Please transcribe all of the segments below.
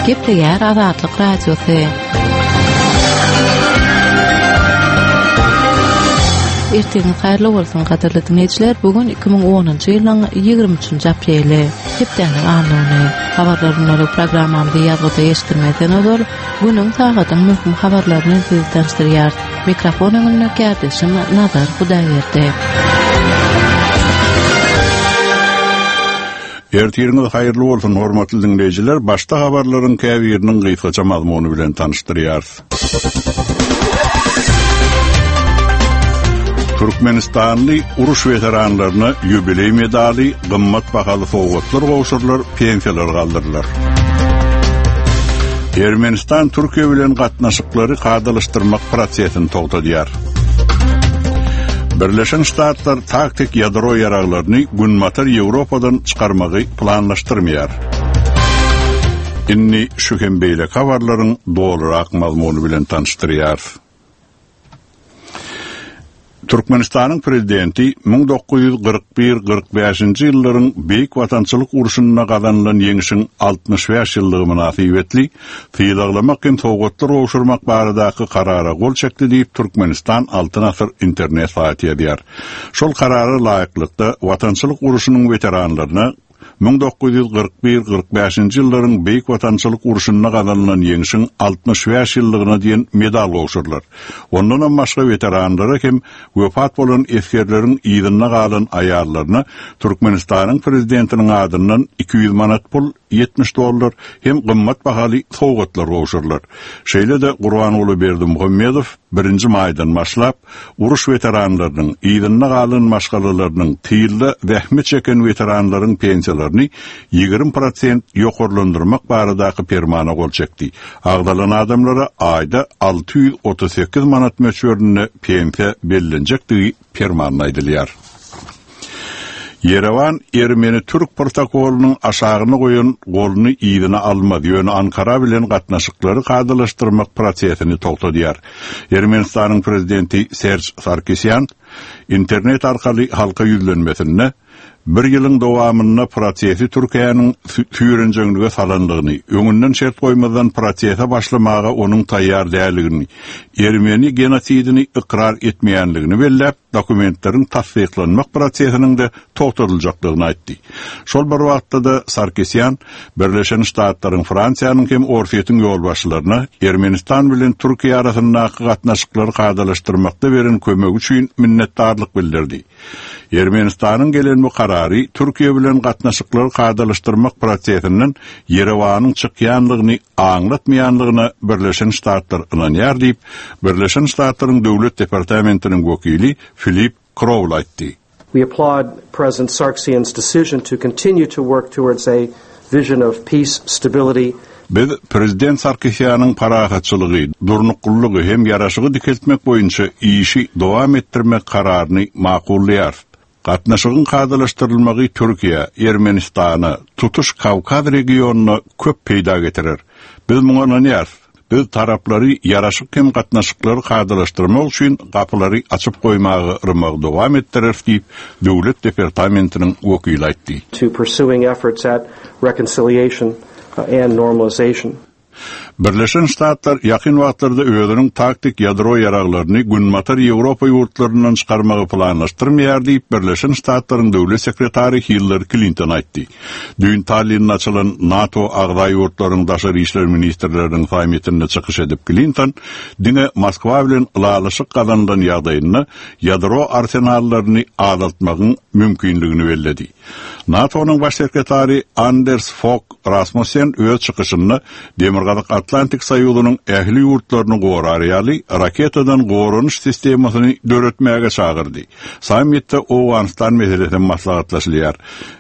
Gepleýär Azatlyk Radiosy. Ertiriňiz haýyrly bolsun, gadyrly diňleýjiler! Bu gün 2010-njy ýylyň 23-nji apreli, hepdäniň anna güni. Habarlar gündelik programmamyzy ýazgyda eşitdirmezden ozal, günüň, sagadyň möhüm habarlaryny sizi tanyşdyrýarys. Mikrofon öňünde kärdeşim Nazar Hudaýberdi. Ertiriňiz haýyrly bolsun, hormatly diňleýjiler! Başda habarlaryň käbiriniň gysgaça mazmuny bilen tanyşdyrýarys. Türkmenistanly uruş weteranlaryna ýubileý medaly, gymmat bahaly sowgatlar gowşurylar, pensiýalar galdyrylar. Ermenistan Türkiýe bilen gatnaşyklary kadalaşdyrmak prosesini togtadýar. Birleşen Ştatlar taktik ýadro ýaraglaryny Günbatar Ýewropadan çykarmagy planlaşdyrmaýar. Indi şu hem beýleki habarlaryň dolurak mazmuny bilen tanyşdyrýarys. Türkmenistanyň Prezidenti 1941 45-nji ýyllaryň Beýik Watançylyk urşunda gazanylan Ýeňşiň 65 ýyllygy mynasybetli sylaglamak hem sowgatlar gowşurmak baradaky Karara gol çekdi diýip, Türkmenistan Altyn asyr internet saýty ýazýar. Şol Karara laýyklykda, Watançylyk urşunyň weteranlaryna 1941 45-nji ýyllaryň Beýik Watançylyk urşunda gazanylan Ýeňşiň 65 ýyllygyna diýen medal gowşurylar. Ondanam başga weteranlara hem wepat bolan esgerleriň yzynda galan aýallaryna Türkmenistanyň Prezidentiniň adyndan 200 manat pul, 70 dollar, hem gymmat bahaly sowgatlar gowşurylar. Şeýle-de Gurbanguly Berdimuhamedow birinji maýdan başlap, uruş weteranlarynyň, yzynda galan maşgalalarynyň, tylda zähmet çeken weteranlaryň pensiýalaryny 20 prosent ýokarlandyrmak baradaky permana gol çekdi. Agzalan adamlara aýda 638 manat möçberinde pensiýa bellenjekdigi permanda aýdylýar. Ýerewan ermeni-türk protokolynyň aşagyna goýan goluny yzyna almaz, ýöne Ankara bilen gatnaşyklary kadalaşdyrmak prosesini togtadýar. Ermenistanyň prezidenti Serž Sarkisýan internet arkaly halka ýüzlenmesinde bir ýylyň dowamynda prosesi Türkiýäniň süýrenjeňlige salandygyny, öňünden şert goýmazdan prosese başlamaga onuň taýýar däldigini, ermeni genosidini ykrar etmeýänligini belläp, dokumentleriň tassyklanmak prosesiniň-de togtadyljakdygyny aýtdy. Şol bir wagtda-da Sarkisýan Birleşen Ştatlaryň, Fransiýanyň hem Orsýetiň ýolbaşçylaryna Ermenistan bilen Türkiýe arasyndaky gatnaşyklary kadalaşdyrmakda beren kömegi üçin minnetdarlyk bildirdi. Ermenistanyň gelen bu karary Türkiýe bilen gatnaşyklary kadalaşdyrmak prosesinden Ýerewanyň çykýandygyny aňlatmaýandygyna Birleşen Ştatlar ynanýar diýip, Birleşen Ştatlaryň Döwlet departamentiniň wekili Filip Krowl aýtdy. We applaud President Sargsyan's decision to continue to work towards a vision of peace, stability, Biz Prezident Sarkisýanyň parahatçylygy, durnuklylygy hem ýaraşygy dikeltmek boýunça işi dowam etdirmek kararyny makullaýarys. Gatnaşygyň kadalaşdyrylmagy Türkiýä, Ermenistana, tutuş Kawkaz regionyna köp peýda getirer. Biz muňa ynanýarys. Biz taraplary ýaraşyk hem gatnaşyklary kadalaşdyrmak üçin gapylary açyp goýmaga yrmagy dowam etdireris diýip, Döwlet departamentiniň wekili aýtdy. to pursuing efforts at reconciliation and normalization. Birleşen Ştatlar ýakyn wagtlarda özüniň taktik ýadro ýaraglaryny Günbatar Ýewropa ýurtlaryndan çykarmagy planlaşdyrmaýar diýip, Birleşen Ştatlaryň döwlet sekretary Hillari Klinton aýtdy. Düýn Tallinde açylan NATO agza ýurtlaryň daşary işler ministrleriniň sammitinde çykyş edip Klinton diňe Moskwa bilen ylalaşyk gazanylan ýagdaýynda ýadro arsenallaryny azaltmagyň mümkinligini belledi. NATO-nyň baş sekretary Anders Fog Rasmussen öz çykyşynda Demirgazyk Atlantik soýuzynyň ähli ýurtlaryny gorar ýaly raketadan goranyş sistemasyny döretmäge çagyrdy. Sammitde Owganystan meselesi hem maslahatlaşylýar.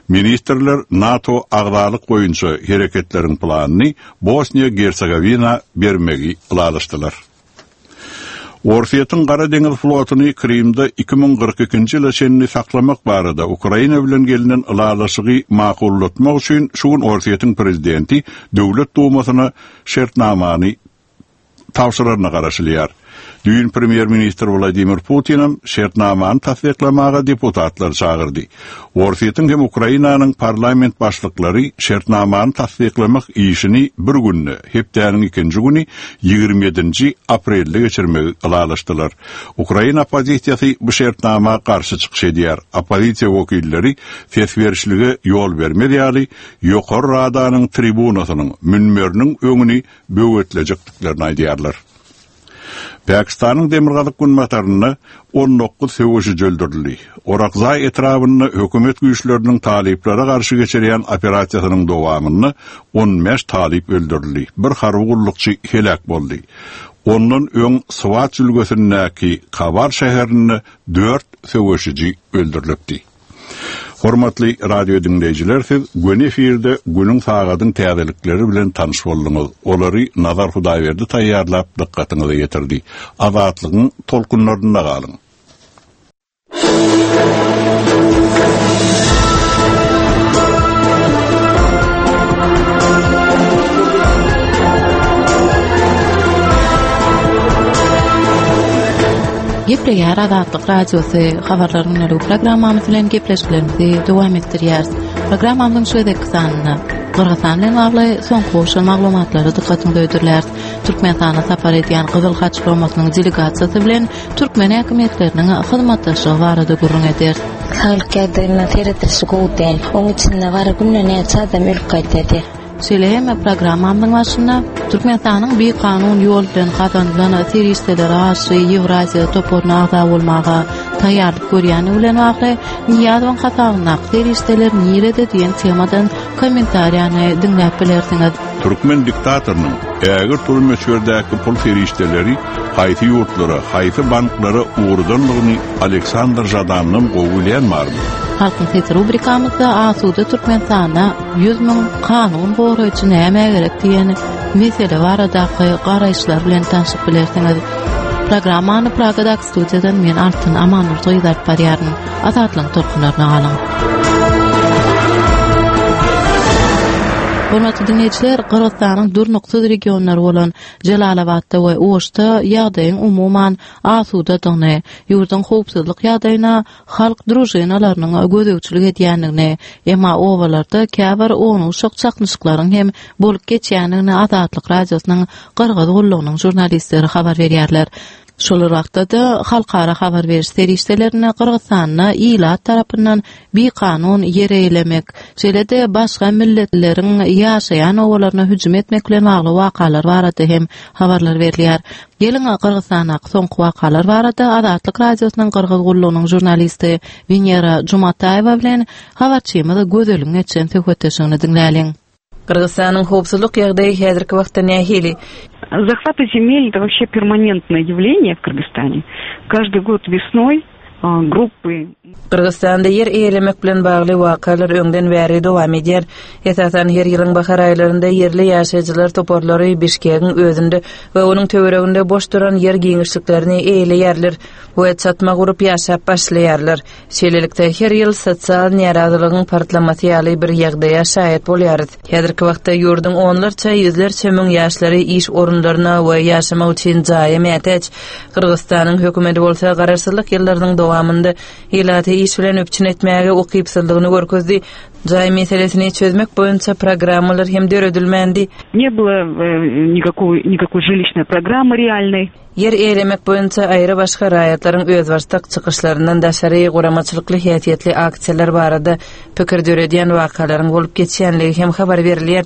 Ministrler NATO agzalyk boýunça hereketleriň planyny Bosniýa-Gersegowina bermegi ylalaşdylar. Orsýetiň Gara deňiz flotuny Krymda 2042-nji ýyla çenli saklamak barada Ukraina bilen gelnen ylalaşygy makullatmak üçin şu gün Orsýetiň prezidenti Döwlet Dumasyna şertnamany tabşyraryna garaşylýar. Düýn premýer-ministr Wladimir Putinem şertnamany tassyklamaga deputatlary çagyrdy. Orsýetiň hem Ukrainanyň parlament başlyklary şertnamany tassyklamak işini bir günde, hepdäniň ikinji güni, 27-nji aprelde geçirmegi ylalaşdylar. Ukrain oppozisiýasy bu şertnama garşy çykyş edýär. Oppozisiýa wekilleri ses berişlige ýol bermez ýaly, Ýokary Radanyň tribunasynyň, münberiniň öňüni böwetlejekdiklerini aýdýarlar. Pakistanyň demirgazyk-günbatarynda 19 söweşiji öldürildi. Orakzaý etrabynda hökümet güýçleriniň talyplara garşy geçirýän operasiýasynyň dowamynda 15 talyp öldürildi, bir harby gullukçy heläk boldy. Ondan öň Swat jülgesindäki Kabar şäherinde dört söweşiji öldürilipdi. Hormatly radio diňleýjiler siz göni efirde günüň sagadyň täzelikleri bilen tanyş bolduňyz. Olary Nazar Hudaýberdi taýýarlap dykgatyňyza ýetirdi. Azatlygyň tolkunlarynda galyň. Gepleýär Azatlyk Radiosy habarlar günlük programmamyz bilen gepleşiklerimizi dowam etdirýäris. Programmamyzyň şu gezekki sanynda Gyrgyzystan bilen bagly soňky gowşan maglumatlary dykgatyňyza hödürläris. Türkmenistana sapar edýän Gyzyl Haç guramasynyň delegasiýasy bilen türkmen häkimiýetleriniň hyzmatdaşlygy barada gürrüň ederis. Saglyk ýagdaýyna seredilişi gowy däl. Oň içinde gara günde näçe adam ölüp gaýdýady. Şeýle hem programmamyzyň başynda Türkmenistanyň bikanun ýol bilen gazanylan serişdelere garşy Ýewraziýa toparyna agza bolmaga taýýarlyk görýändigi bilen bagly Nyýazowyň hasabyndaky serişdeler nirede diýen temadan kommentariýany diňläp bilersiňiz. Türkmen diktatorynyň ägirt uly möçberdäki pul serişdeleri haýsy ýurtlara, haýsy banklara ugradandygyny Aleksandr Žadandan gowy bilýän barmy? Halkyň sesi rubrikamyzda Asuda Türkmenistanda 100 müň kanun goraýjy nämä gerek diýen mesele baradaky garaýyşlar bilen tanşyp bilersiňiz. Programmany Pragadaky studiýadan men Altyn Amandurdy gyz alyp barýaryn. Azatlygyň tolkunlaryna galyň. Hormatly diňleýjiler, Gyrgyzystanyň durnuksyz regionlary bolan Jelalabatda we Oşda ýagdaýyň umuman asudadygyny, ýurduň howpsuzlyk ýagdaýyna halk družinalarynyň gözegçilik edýändigini, emma obalarda käbir ownuk-uşak çaknyşyklaryň hem bolup geçýändigini Azatlyk Radiosynyň Gyrgyz gullugynyň žurnalistleri habar berýärler. Şol bir wagtda-da, halkara habar beriş serişdelerinde Gyrgyzystanda ilat tarapyndan bikanun ýer eýelemek, şeýle-de başga milletleriň ýaşaýan obalaryna hüjüm etmek bilen bagly wakalar barada hem habarlar berilýär. Geliň, Gyrgyzystandaky soňky wakalar barada Azatlyk Radiosynyň Gyrgyz gullugynyň žurnalisti Wenera Jumataýewa bilen habarçymyz Gözeliň geçiren söhbetdeşligini diňläliň. Gyrgyzystanyň howpsuzlyk ýagdaýy häzirki wagtda nähili? Захваты земель это вообще перманентное явление в Кыргызстане. Каждый год весной grupy. Gyrgyzystanda ýer eýelemek bilen bagly wakalar öňden bäri dowam edýär. Esasan her ýylyň bahar aýlarynda ýerli ýaşaýjylar toparlary Bişkegiň özünde we onuň töwereginde boş duran ýer giňişliklerini eýeleýärler we çatma gurup ýaşap başlaýarlar. Şeýlelikde, her ýyl sosial närazylygyň partlamasy ýaly bir ýagdaýa şaýat bolýarys. Häzirki wagtda ýurduň onlarça, ýüzlerçe müň ýaşlary iş orunlaryna we ýaşamak üçin jaýa mätäç. Gyrgyzystanyň hökümeti bolsa garaşsyzlyk ýyllarynyň dowamynda ilaty iş bilen üpjün etmäge ukypsyzlygyny görkezdi. Jaý meselesini çözmek boýunça programmalar hem döredilmändi. Ne было никакой никакой жилищной программы реальной. Ýer eýelemek boýunça aýry-başga raýatlaryň özbaşdak çykyşlaryndan daşary guramaçylykly häsiýetli aksiýalar barada pikir döredýän wakalaryň bolup geçýänligi hem habar berilýär.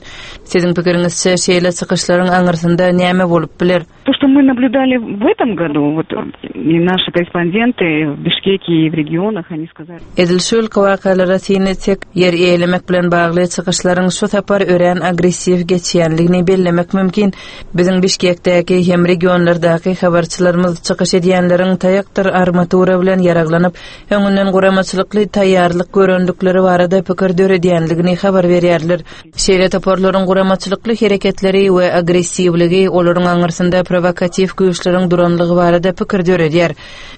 Siziň pikiriňizçe, şeýle çykyşlaryň aňyrsynda näme bolup biler? То, что мы наблюдали в этом году, вот и наши корреспонденты в Бишкеке и в регионах, они сказали. Edil şu ýylky wakalara syn etsek, ýer eýelemek bilen bagly çykyşlaryň şu sapar örän agressiw geçýänligini bellemek mümkin. Biziň Bişkekdäki hem regionlardaky habarçylarymyz çykyş edýänleriň taýakdyr armatura bilen ýaraglanyp, öňünden guramaçylykly taýýarlyk görendikleri barada pikir döredýänligini habar berýärler. Şeýle toparlaryň guramaçylykly hereketleri we agressiwligi olaryň aňyrsynda prowokatiw güýçleriň duranlygy barada pikir döredýär.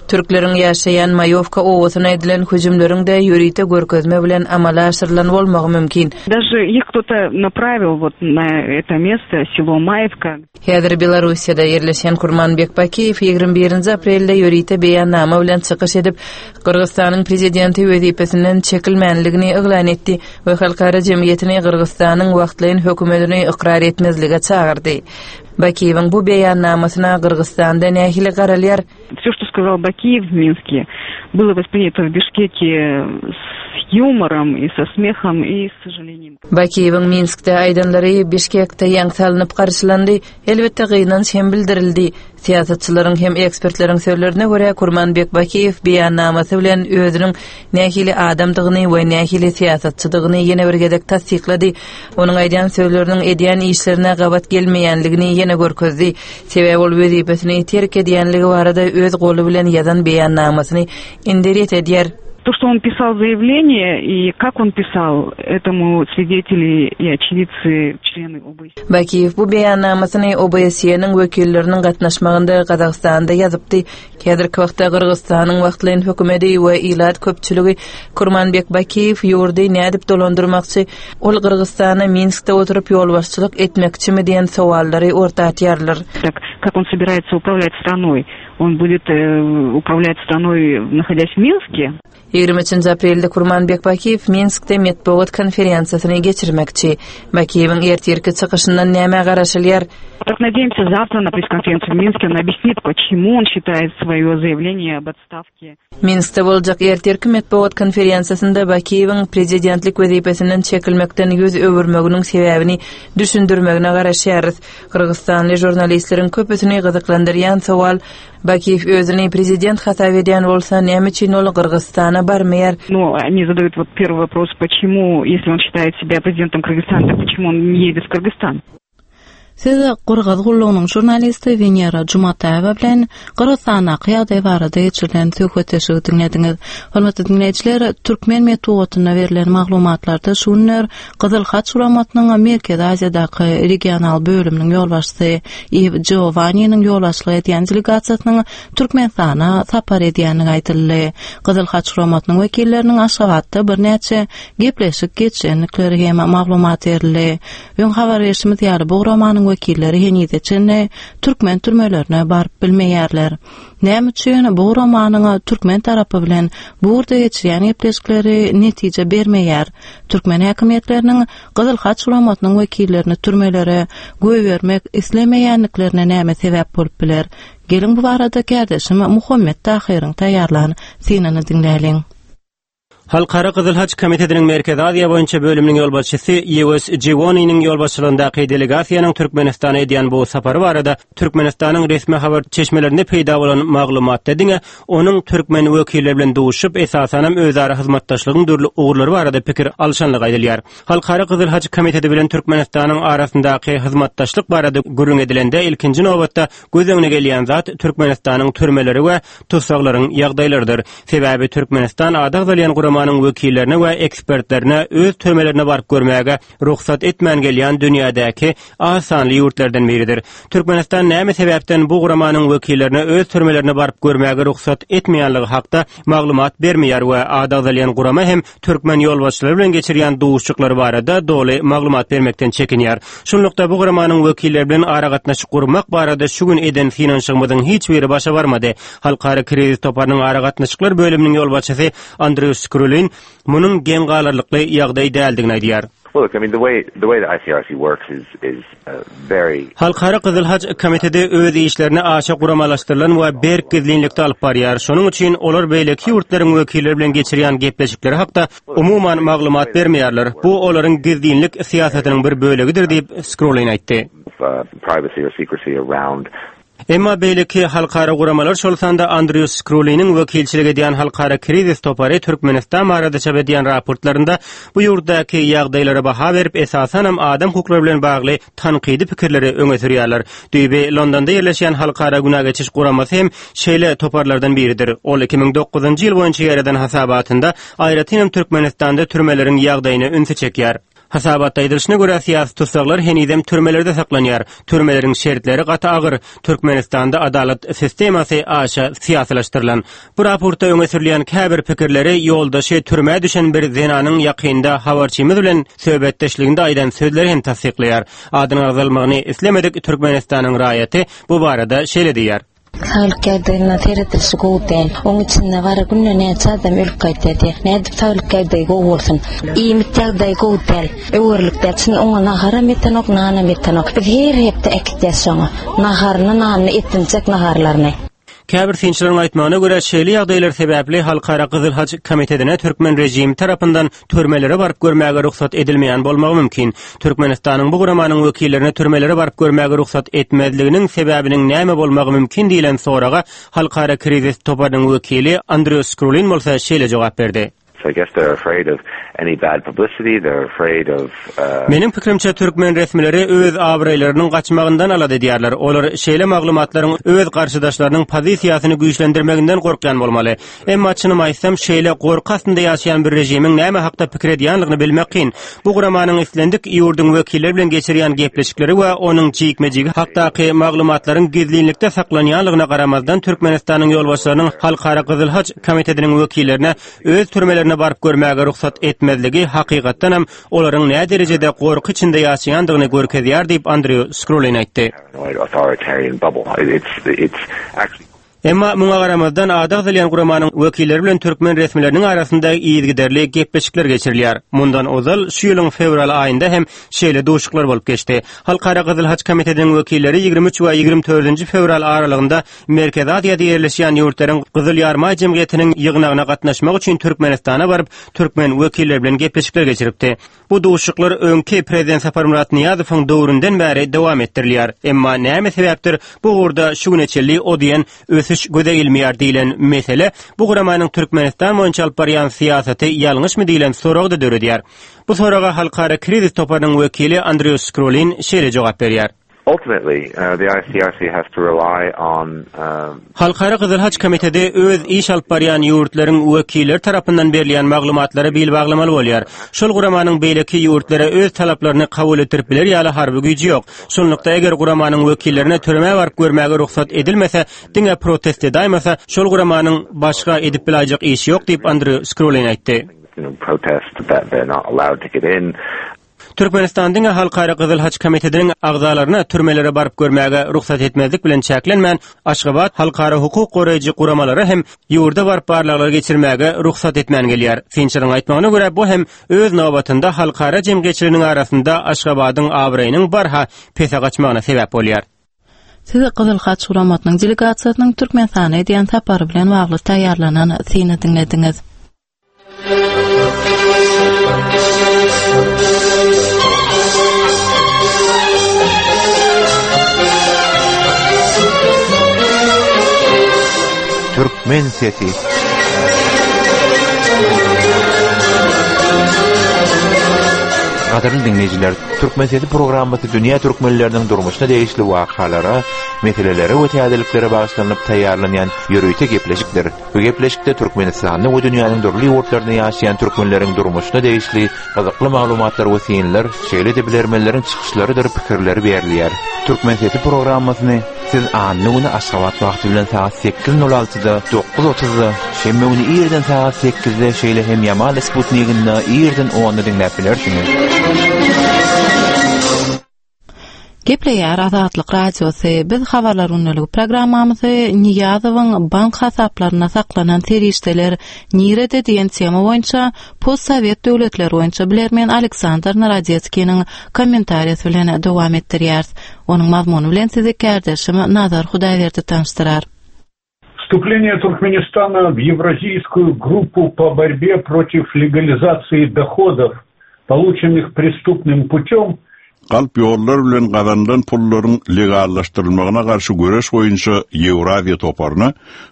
Türkleriň ýaşaýan Maýowka obasyna edilen hüjümleriň-de ýörite görkezme bilen amala aşyrylan. çagyrylan bolmagy mümkin. Даже их кто-то направил вот на это место, село Маевка. Häzir Belarussiýada ýerleşýän Kurmanbek Bakiýew 21-nji aprelde ýörite beýannama bilen çykyş edip, Gyrgyzystanyň prezidenti wezipesinden çekilmänligini yglan etdi we halkara jemgyýetini Gyrgyzystanyň wagtlaýyn hökümetini ykrar etmezlige çagyrdy. Bakiýewiň bu beýannamasyna Gyrgyzystanda nähili garalýar? Все, что сказал Бакиев в Минске, было воспринято в Бишкеке с юмором и со смехом и с сожалением. Bakiýewiň Minskde aýdanlary Bişkekde ýaňy salnyp garşylandy, elbetde gynanç hem bildirildi. Syýasatçylaryň hem ekspertleriň sözlerine görä, Kurmanbek Bakiýew beýannamasy bilen özüniň nähili adamdygyny we nähili syýasatçydygyny ýene bir gezek tassyklady. Onuň aýdýan sözleriniň edýän işlerine gabat gelmeýänligini ýene görkezdi. Sebäbi ol wezipesini terk edýänligi barada öz goly bilen ýazan beýannamasyny indi ret edýär. То, что он писал заявление и как он писал, этому свидетели и очевидцы, члены ОБСЕ. Bakiýew bu beýannamasyny OBSE-niň wekilleriniň gatnaşmagynda Gazagystanda ýazypdy. Häzirki wagtda Gyrgyzystanyň wagtlaýyn hökümedi we ilat köpçüligi Kurmanbek Bakiýew ýurdy nädip dolandyrmakçy, ol Gyrgyzystana Minskde oturyp ýolbaşçylyk etmekçimi diýen sowallary orta atýarlar. Так как он собирается управлять страной? Он будет управлять страной, находясь в Минске? 23 aprelde Kurmanbek Bakiýew Minskde metbugat konferensiýasyny geçirmekçi. Bakiýewiň ertirki çykyşyndan nämä garaşylýar? Так надеемся, завтра на пресс-конференции в Минске он объяснит, почему он считает свое заявление об отставке. Minskde boljak ertirki metbugat konferensiýasynda Bakiýewiň prezidentlik wezipesinden çekilmekden ýüz öwürmeginiň sebäbini düşündirmegine garaşýarys. Gyrgyzystanly žurnalistleriň köpüsini gyzyklandyrýan sowal, Bakiýew özüni prezident hasap edýän bolsa, näme üçin ol Gyrgyzystana barmaýar? Ну, они задают вот первый вопрос, почему, если он считает себя президентом Кыргызстана, так почему он не едет в Кыргызстан? Siz Gyrgyz gullugynyň žurnalisti Wenera Jumataýewa bilen Gyrgyzystandaky ýagdaý barada geçirilen söhbetdeşligi diňlediňiz. Hormatly diňleýjiler, türkmen metbugatynda berlen maglumatlarda şu günler Gyzyl Haç guramasynyň Merkezi Aziýadaky regional bölüminiň ýolbaşçysy Iw Jiowanniniň ýolbaşçylyk edýän delegasiýasynyň Türkmenistana sapar edýändigi aýdyldy. Gyzyl Haç guramasynyň wekilleriniň Aşgabatda birnäçe gepleşik geçirendikleri hem maglumat berildi. Öň habar berşimiz ýaly, bu guramanyň wekilleri henize çenli türkmen türmelerine baryp bilmeýärler. Näme üçin bu guramanyň türkmen tarapy bilen bu ugurda geçirýän gepleşikleri netije bermeýär? Türkmen häkimiýetleriniň Gyzyl Haç guramasynyň wekillerini türmelere goýbermek islemeýändiklerine näme sebäp bolup biler? Geliň bu barada kärdeşim Muhammet Tahyryň taýýarlan synyny diňläliň. Halkara Gyzyl Haç Komitetiniň Merkezi Aziýa boýunça bölüminiň ýolbaşçysy Ýewes Jiwoniniň ýolbaşçylygyndaky delegasiýanyň Türkmenistana edýän bu sapary barada Türkmenistanyň resmi habar çeşmelerinde peýda bolan maglumatda diňe onuň türkmen wekilleri bilen duşup, esasanam özara hyzmatdaşlygyň dürli ugurlary barada pikir alşanlygy aýdylýar. Halkara Gyzyl Haç Komiteti bilen Türkmenistanyň arasyndaky hyzmatdaşlyk barada gürrüň edilende, ilkinji nobatda göz öňüne gelýän zat Türkmenistanyň türmeleri we tussaglaryň ýagdaýlarydyr. Sebäbi Türkmenistan ady agzalýan guramanyň wekillerine we ekspertlerine öz türmelerine baryp görmäge rugsat etmän gelýän dünýädäki az sanly ýurtlardan biridir. Türkmenistan näme sebäpden bu guramanyň wekillerine öz türmelerine baryp görmäge rugsat etmeýänligi hakda maglumat bermeýär we ady agzalýan gurama hem türkmen ýolbaşçylary bilen geçirýän duşuşyklary barada doly maglumat bermekden çekinýär. Şunlukda bu guramanyň wekilleri bilen aragatnaşyk gurmak barada şu gün eden synanyşygymyzyň hiç biri başa barmady. Halkara krizis toparynyň aragatnaşyklar bölüminiň ýolbaşçysy Andrew Skrulin munuň geň galarlykly ýagdaý däldigini aýdýar. Halkara Gyzyl Haç Komiteti öz işlerini aşa guramalaşdyrylan we berk gizlinlikde alyp barýar. Şonuň üçin olar beýleki ýurtlaryň wekilleri bilen geçirýän gepleşikleri hakda umuman maglumat bermeýärler. Bu olaryň gizlinlik syýasatynyň bir bölegidir diýip, Skrulin aýtdy. Emma beýleki halkara guramalar, şol sanda Andrew Skruliniň wekilçilik edýän Halkara krizis topary Türkmenistan barada çap edýän raportlarynda bu ýurtdaky ýagdaýlara baha berip, esasanam adam hukuklary bilen bagly tankydy pikirleri öňe sürýärler. Düýbi Londonda ýerleşýän Halkara günä geçiş guramasy hem şeýle toparlardan biridir. Ol 2009-njy ýyl boýunça ýaýradan hasabatynda aýratynam Türkmenistanda türmeleriň ýagdaýyna ünsi çekýär. Hasabatda aýdylyşyna görä, syýasy tussaglar henizem türmelerde saklanýar. Türmeleriň şertleri gaty agyr. Türkmenistanda adalat sistemasy aşa syýasylaşdyrylan. Bu raportda öňe sürülýän käbir pikirleri ýoldaşy türmä düşen bir zenanyň ýakynda habarçymyz bilen söhbetdeşliginde aýdan sözleri hem tassyklaýar. Adynyň agzalmagyny islemedik Türkmenistanyň raýaty bu barada şeýle diýýär. Saglyk ýagdaýyna seredilişi gowy däl. Oň içinde gara günde näçe adam ölüp gaýtýar diýýär. Nädip saglyk ýagdaýy gowy bolsun? Iýmit ýagdaýy gowy däl. Öwerlik däl. Çyn oňa naharam ýetenok, nanam ýetenok. Biz her hepde äkitýäs şoňa. Naharyny, nanyny etinjek naharlaryny. Käbir synçylaryň aýtmagyna görä, şeýle ýagdaýlar sebäpli Halkara Gyzyl Haç komitetine türkmen režimi tarapyndan türmelere baryp görmäge rugsat edilmeýän bolmagy mümkin. Türkmenistanyň bu guramanyň wekillerine türmelere baryp görmäge rugsat etmezliginiň sebäbiniň näme bolmagy mümkin diýlen soraga Halkara krizis toparynyň wekili Andrew Skrulin bolsa şeýle jogap berdi. Meniň pikirimçe, türkmen resmileri öz abraýlarynyň gaçmagyndan alada edýärler. Olar şeýle maglumatlaryň öz garşydaşlarynyň pozisiýasyny güýçlendirmeginden gorkýan bolmaly. Emma çynymy aýtsam, şeýle gorky astynda ýaşaýan bir režimiň näme hakda pikir edýänligini bilmek kyn. Bu guramanyň islendik ýurduň wekilleri bilen geçirýän gepleşikleri we onuň jikme-jigi hakdaky maglumatlaryň gizlinlikde saklanýanlygyna garamazdan, Türkmenistanyň ýolbaşçylarynyň Halkara Gyzyl Haç komitetiniň wekillerine öz türmelerine baryp görmäge rugsat etmezligi hakykatdanam olaryň näderejede gorky içinde ýaşaýandygyny görkezýär diýip, Andrew Skrulin aýtdy. Emma muňa garamazdan, ady agzalýan guramanyň wekilleri bilen türkmen resmileriniň arasynda yzygiderli gepleşikler geçirilýär. Mundan ozal, şu ýylyň fewral aýynda hem şeýle duşuşyklar bolup geçdi. Halkara Gyzyl Haç komitetiniň wekilleri 23 we 24 fewral aralygynda Merkezi Aziýada ýerleşýän ýurtlaryň Gyzyl Ýarymaý jemgyýetiniň ýygnagyna gatnaşmak üçin Türkmenistana baryp, türkmen wekilleri bilen gepleşikler geçiripdi. Bu duşuşyklar öňki Prezident Saparmyrat Nyýazowyň döwründen bäri dowam etdirilýär. Emma näme sebäpdir bu ugurda şu güne çenli o diýen ösüş göze ilmeýär diýlen mesele bu guramanyň Türkmenistan boýunça alyp barýan syýasaty ýalňyşmy diýlen soragy-da döredýär. Bu soraga Halkara krizis toparynyň wekili Andrew Skrulin şeýle jogap berýär. Ultimately, the ICRC has to rely on. Halkara Gyzyl Haç komiteti öz iş alyp barýan ýurtlaryň wekilleri tarapyndan berilýän maglumatlara bil baglamaly bolýar. Şol guramanyň beýleki ýurtlara öz talaplaryny kabul etdirip biler ýaly harby güýji ýok. Şunlukda, eger guramanyň wekillerine türmä baryp görmäge rugsat edilmese, diňe protest edaýmasa, şol guramanyň başga edip bilaýjak işi ýok diýip, Andrew Skrulin aýtdy. Türkmenistan diňe Halkara Gyzyl Haç komitetiniň agzalaryna türmelere baryp görmäge rugsat etmezlik bilen çäklenmän, Aşgabat halkara hukuk goraýjy guramalara hem ýurda baryp barlaglar geçirmäge rugsat etmän gelýär. Synçylaryň aýtmagyna görä, bu hem öz nobatynda halkara jemgyýetçiliginiň arasynda Aşgabadyň abraýynyň barha pese gaçmagyna sebäp bolýar. Siz Gyzyl Haç guramasynyň delegasiýasynyň Türkmenistana edýän sapary bilen bagly taýýarlanan syny diňlediňiz. Türkmen sesi. Gadyrly diňleýjiler, Türkmen sesi programmasy dünýä türkmenleriniň durmuşyna degişli wakalara, meselelere we täzeliklere bagyşlanyp taýýarlanýan ýörite gepleşikdir. Bu gepleşikde Türkmenistanda we dünýäniň dürli ýurtlarynda ýaşaýan türkmenleriň durmuşyna degişli gyzykly maglumatlar we synlar, şeýle-de bilermenleriň çykyşlarydyr pikirleri berilýär. Türkmen sesi programmasyny siz anna güni Aşgabat wagty bilen sagat sekiz nol altyda, dokuz otuzda, şenbe güni irden sagat sekizde, şeýle hem Ýamal sputniginde irden onda diňläp bilersiňiz. Gepleýär Azatlyk Radiosy, Biz Habarlar gündeligi programmamyzy Nyýazowyň bank hasaplarynda saklanan serişdeler nirede diýen tema boýunça postsowet döwletleri boýunça bilermen Aleksandr Narodetskiniň kommentariýasy bilen dowam etdirýäris. Onuň mazmuny bilen sizi kärdeşim Nazar Hudaýberdi tanyşdyrar. Вступление Туркменистана в Евразийскую группу по борьбе против легализации доходов, полученных преступным путем, Galp ýollar bilen gazanylan pullaryň legallaşdyrylmagyna garşy göreş boýunça Ýewraziýa toparyna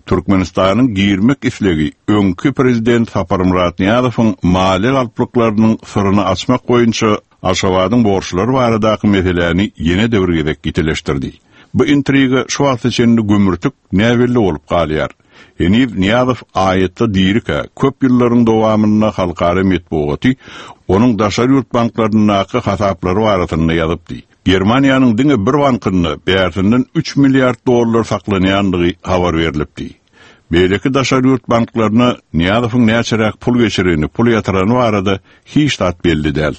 Türkmenistanyň girmek islegi öňki prezident Saparmyrat Nyýazowyň maliýe galplyklarynyň syryny açmak boýunça Aşgabadyň borçlary baradaky meseläni ýene-de bir gezek ýitileşdirdi. Bu intriga şu wagta çenli gümürtik, näbelli bolup galýar. Heniz Nyýazow aýatda dirikä, köp ýyllaryň dowamynda halkara metbugaty onuň daşary ýurt banklaryndaky hasaplary barasynda ýazypdy. Germaniýanyň diňe bir bankynda bärsinden üç milliard dollar saklanýandygy habar berlipdi. Beýleki daşary ýurt banklaryna Nyýazowyň näçeräk pul geçireni, pul ýatyrany barada hiç zat belli däl.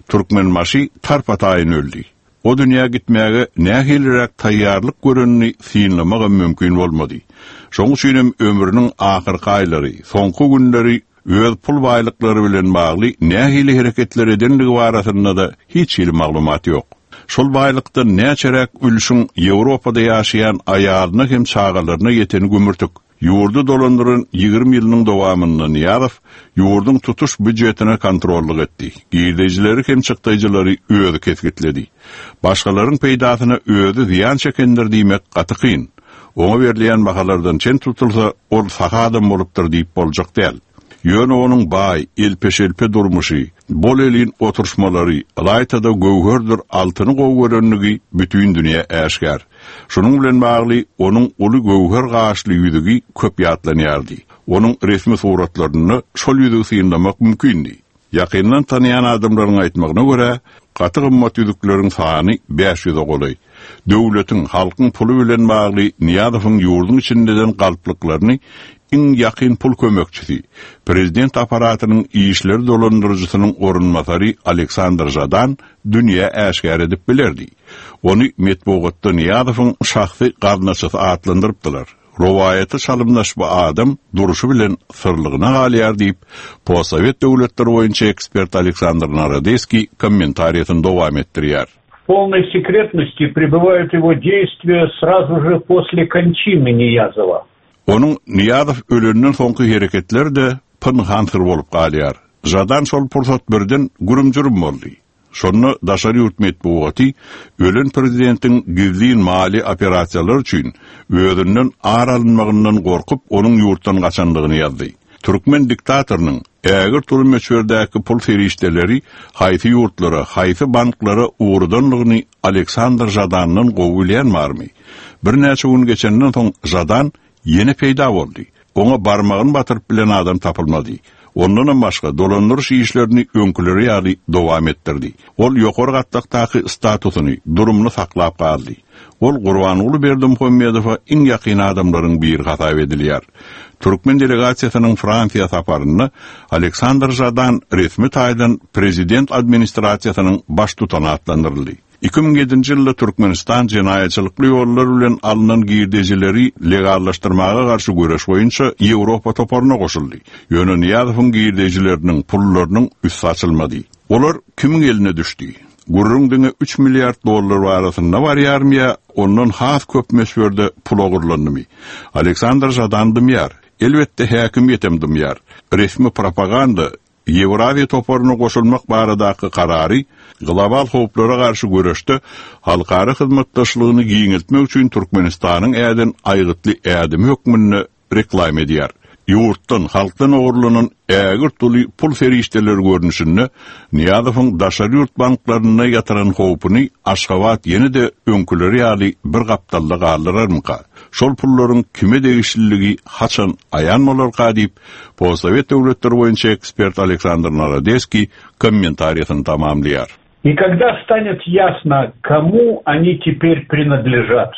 Türkmenbaşy tarpa-taýyn öldi. O dünýä gitmäge nähiliräk taýýarlyk görenini synlamagam mümkin bolmady. Şoň üçinem ömrüniň ahyrky aýlary, soňky günleri öz pul baýlyklary bilen bagly nähili hereketler edenligi barasynda-da hiç hili maglumat ýok. Şol baýlykdan näçeräk ülşüň Ýewropada ýaşaýan aýalyna hem çagalaryna ýeteni gümürtik. Ýurdy dolandyran 20 ýylynyň dowamynda Nyýazow ýurduň tutuş býujetine kontrollyk etdi, girdejileri hem çykdaýjylary özi kesgitledi. Başgalaryň peýdasyna özi zyýan çekendir diýmek gaty kyn. Oňa berilýän bahalardan çen tutulsa, ol sahy adam bolupdyr diýip boljak däl. Ýöne onuň baý, elpe-şelpe durmuşy, bol-elin oturyşmalary, ylaýta-da göwherdir altyny gowy görenligi bütin dünýä äşgär. Şunuň bilen bagly onuň uly göwher gaşly ýüzügi köp ýatlanýardy. Onuň resmi suratlarynda şol ýüzügi synlamak mümkindi. Ýakyndan tanaýan adamlaryň aýtmagyna görä, gaty gymmat ýüzükleriň sany 500-e golaý. Döwletiň, halkyň puly bilen bagly Nyýazowyň ýurduň içinde eden galplyklaryny iň ýakyn pul kömekçisi, prezident apparatynyň işleri dolandyryjysynyň orunbasary Aleksandr Žadan dünýä äşgär edip bilerdi. Ony metbugatda Nyýazowyň şahsy gaznaçysy atlandyrypdylar. Rowaýata çalymdaş bu adam durşy bilen syrlygyna galýar diýip, postsowet döwletleri boýunça ekspert Aleksandr Narodeskiý kommentariýasyny dowam etdirýär. В полной секретности пребывают его действия сразу же после кончины Ниязова. Onuň Nyýazow ölenden soňky hereketleri-de pynhan syr bolup galýar. Žadan şol pursat birden gürüm-jürüm boldy. Şonda daşary ýurt metbugaty ölen prezidentiň gizlin maliýe operasiýalary üçin özünden ar alynmagyndan gorkup onuň ýurtdan gaçandygyny ýazdy. Türkmen diktatorynyň ägirt uly möçberdäki pul serişdeleri haýsy ýurtlara, haýsy banklara ugradandygyny Aleksandr Žadandan gowy bilýän barmy? Birnäçe gün geçenden soň Žadan Ýene peýda boldy. Oňa barmagyny batyryp bilen adam tapylmady. Ondanam başga, dolandyryş işlerini öňküleri ýaly dowam etdirdi. Ol ýokary gatlakdaky statusyny, durumyny saklap galdy. Ol Gurbanguly Berdimuhamedowa iň ýakyn adamlaryň biri hasap edilýär. Türkmen delegasiýasynyň Fransiýa saparynda Aleksandr Žadan resmi taýdan prezident administrasiýasynyň baştutany atlandyryldy. 2007-nji ýylda Türkmenistan jenaýatçylykly ýollar bilen alnan girdejileri legallaşdyrmaga garşy göreş boýunça Ýewropa toparyna goşuldy. Ýöne Nyýazowyň girdejileriniň, pullarynyň üsti açylmady. Olar kimiň eline düşdi? Gürrüň diňe üç milliard dollar barasynda barýarmy ýa ondan has köp möçberde pul ogurlandymy? Aleksandr Žadan dymýar. Elbetde häkimiýetem dymýar. Resmi propaganda Ýewraziýa toparyna goşulmak baradaky karary global howplara garşy göreşde halkara hyzmatdaşlygyny giňeltmek üçin Türkmenistanyň äden aýgytly ädimi hökmünde reklama edýär. Ýurtdan, halkdan ogurlanan ägirt uly pul serişdeleri görnüşinde Nyýazowyň daşary ýurt banklarynda ýatyran howpuny Aşgabat ýene-de öňküleri ýaly bir gapdalda galdyrarmyka? Şol pullaryň kime degişliligi haçan aýan bolarka diýip, Postsowet döwletleri boýunça ekspert Aleksandr Narodeskiý kommentariýasyny tamamlaýar. И когда станет ясно, кому они теперь принадлежат?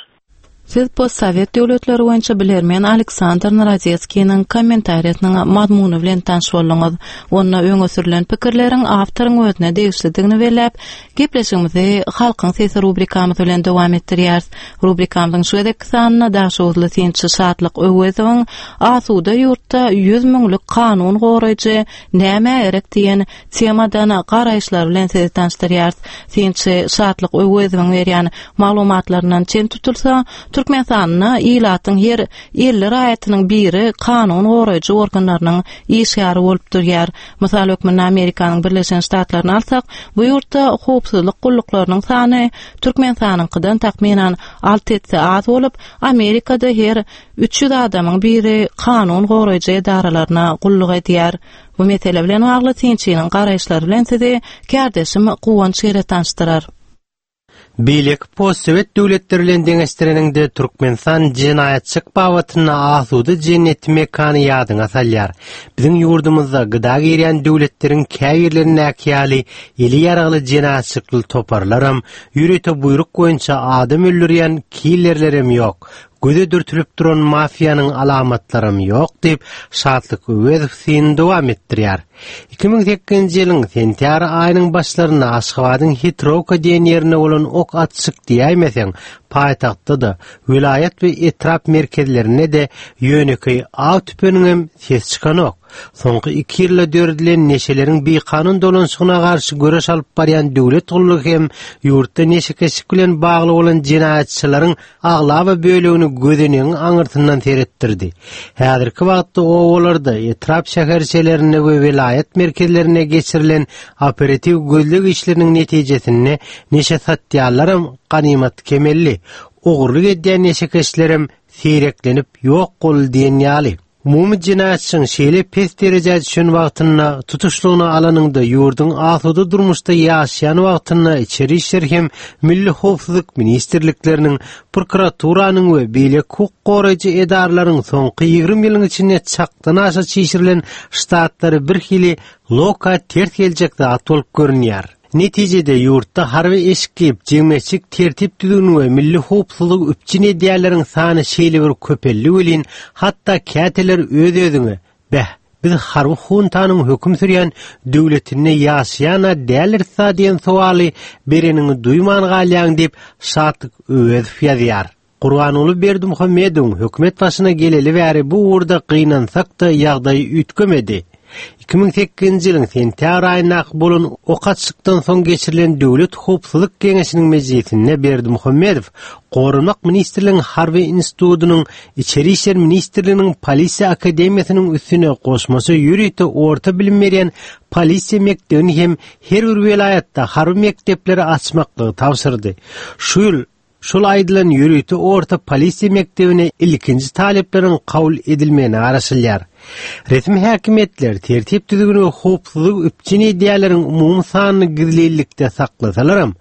Siz postsowet döwletleri boýunça bilermen Aleksandr Narodetskiniň kommentariýasynyň mazmuny bilen tanyş bolduňyz. Onda öňe sürlen pikirleriň awtoryň özüne degişlidigini belläp, gepleşigimizi Halkyň sesi rubrikamyz bilen dowam etdirýäris. Rubrikamyzyň şu gezekki sanynda daşoguzly synçy Şatlyk Öwezowyň Asuda ýurtda ýüz müňlük kanun goraýjy nämä gerek diýen temadan garaýyşlary bilen sizi tanyşdyrýarys. Synçy Şatlyk Öwezowyň berýän maglumatlaryndan çen tutulsa, Türkmenistanda ilatyň her 50 raýatynyň biri kanun goraýjy organlarynyň işgäri bolup durýar. Mysal hökmünde Amerikanyň Birleşen Ştatlaryny alsak, bu ýurtda howpsuzlyk gulluklarynyň sany Türkmenistanyňkydan takmynan alty esse az bolup, Amerikada her 300 adamyň biri kanun goraýjy edaralaryna gulluk edýär. Bu mesele bilen bagly synçynyň garaýyşlary bilen sizi kärdeşim Guwanç Gere tanyşdyrar. Beýleki postsowet döwletleri bilen deňeşdireniňde Türkmenistan jenaýatçylyk babatynda asuda jenneti mekany ýadyňa salýar. Biziň ýurdumyzda gda girýän döwletleriň käbirlerindäki ýaly eli ýaragly jenaýatçylykly toparlaram, ýörite buýruk boýunça adam öldürýän killerlerem ýok. Göze dürtülip duran mafiýanyň alamatlaram ýok diýip, Şatlyk Öwezow synyny dowam etdirýär. 2008-nji ýylyň sentýabr aýynyň başlarynda Aşgabadyň Hitrowka diýen ýerinde bolan ok atyşyk diýäýmeseň, paýtagtda-da, welaýat we etrap merkezlerinde-de ýönekeý aw tüpeňiňem sesi çykanok. Soňky iki ýylda döredilen neşeleriň bikanun dolanyşygyna garşy göreş alyp barýan döwlet gullugy hem ýurtda neşekeşlik bilen bagly bolan jenaýatçylaryň aglaba bölegini gözenegiň aňyrsyndan seretdirdi. Häzirki wagtda obalarda, etrap şäherçelerinde we welaýat merkezlerinde geçirilen operatiw gözleg işleriniň netijesinde neşe satýanlaram ganymat kemeldi, ogurlyk edýän neşekeşlerem seýreklenip ýok boldy diýen ýaly. Umumy jenaýatçylygyň şeýle pes derejä düşen wagtynda, tutuşlygyna alanyňda ýurduň asuda durmuşda ýaşaýan wagtynda Içeri işler hem Milli howpsuzlyk ministrlikleriniň, prokuraturanyň we beýleki hukuk goraýjy edaralaryň soňky 20 ýylyň içinde çakdan aşa çişirilen ştatlary birhili loka ters geljek zat bolup görünýär. Netijede, ýurtda harby eşik geýip, jemgyýetçilik tertip-düzgüni we milli howpsuzlygy üpjün edýänleriň sany şeýle bir köpeldi welin, hatda käteler öz-özüňe, Beh, biz harby huntanyň höküm sürýän döwletinde ýaşaýan-a däldiris-a diýen sowaly bereniňi duýman galýaň diýip, Şatlyk Öwezow ýazýar. Gurbanguly Berdimuhamedowyň hökümet başyna geleli bäri bu ugurda gynansak-da ýagdaý üýtgemedi. 2008-nji ýylyň sentýabr aýyndaky bolan ok atyşykdan soň geçirilen Döwlet howpsuzlyk geňeşiniň mejlisinde Berdimuhamedow Goranmak ministrliginiň Harby institutynyň Içeri işler ministrliginiň Polisiýa akademiýasynyň üstüne goşmaça ýörite orta bilim berýän polisiýa mekdebini hem her bir welaýatda harby mekdepleri açmaklygy tabşyrdy. Şu ýyl Şol aýdylan ýörite orta polisiýa mekdebine ilkinji talyplaryň kabul edilmegine garaşylýar. Resmi häkimiýetler tertip-düzgüni we howpsuzlygy üpjün edýänleriň umumy sanyny gizlinlikde saklasalaram,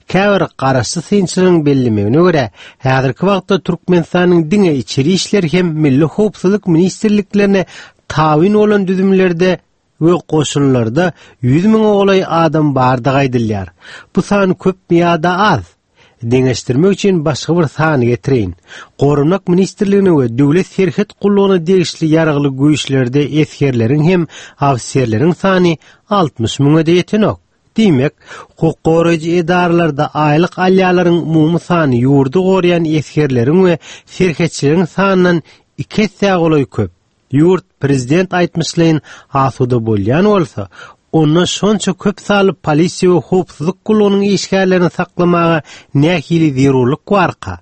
käbir garaşsyz synçylaryň bellemegine görä, häzirki wagtda Türkmenistanyň diňe Içeri işler hem Milli howpsuzlyk ministrliklerine tabyn bolan düzümlerde we goşunlarda 100 müňe golaý adam bardygy aýdylýar. Bu san köpmi ýa-da az? Deňeşdirmek üçin başga bir sany getireýin. Goranmak ministrligine we Döwlet serhet gullugyna degişli ýaragly güýçlerde esgerleriň hem ofiserleriň sany 60 müňe-de ýetenok. Diýmek, hukuk goraýjy edaralarda aýlyk alýanlaryň umumy sany ýurdy goraýan esgerleriň we serhetçileriň sanyndan iki essä golaý köp. Ýurt prezident aýtmyşlaýyn asuda bolýan bolsa, onda şonça köp sanly polisiýa we howpsuzlyk gullugynyň işgärlerini saklamaga nähili zerurlyk barka?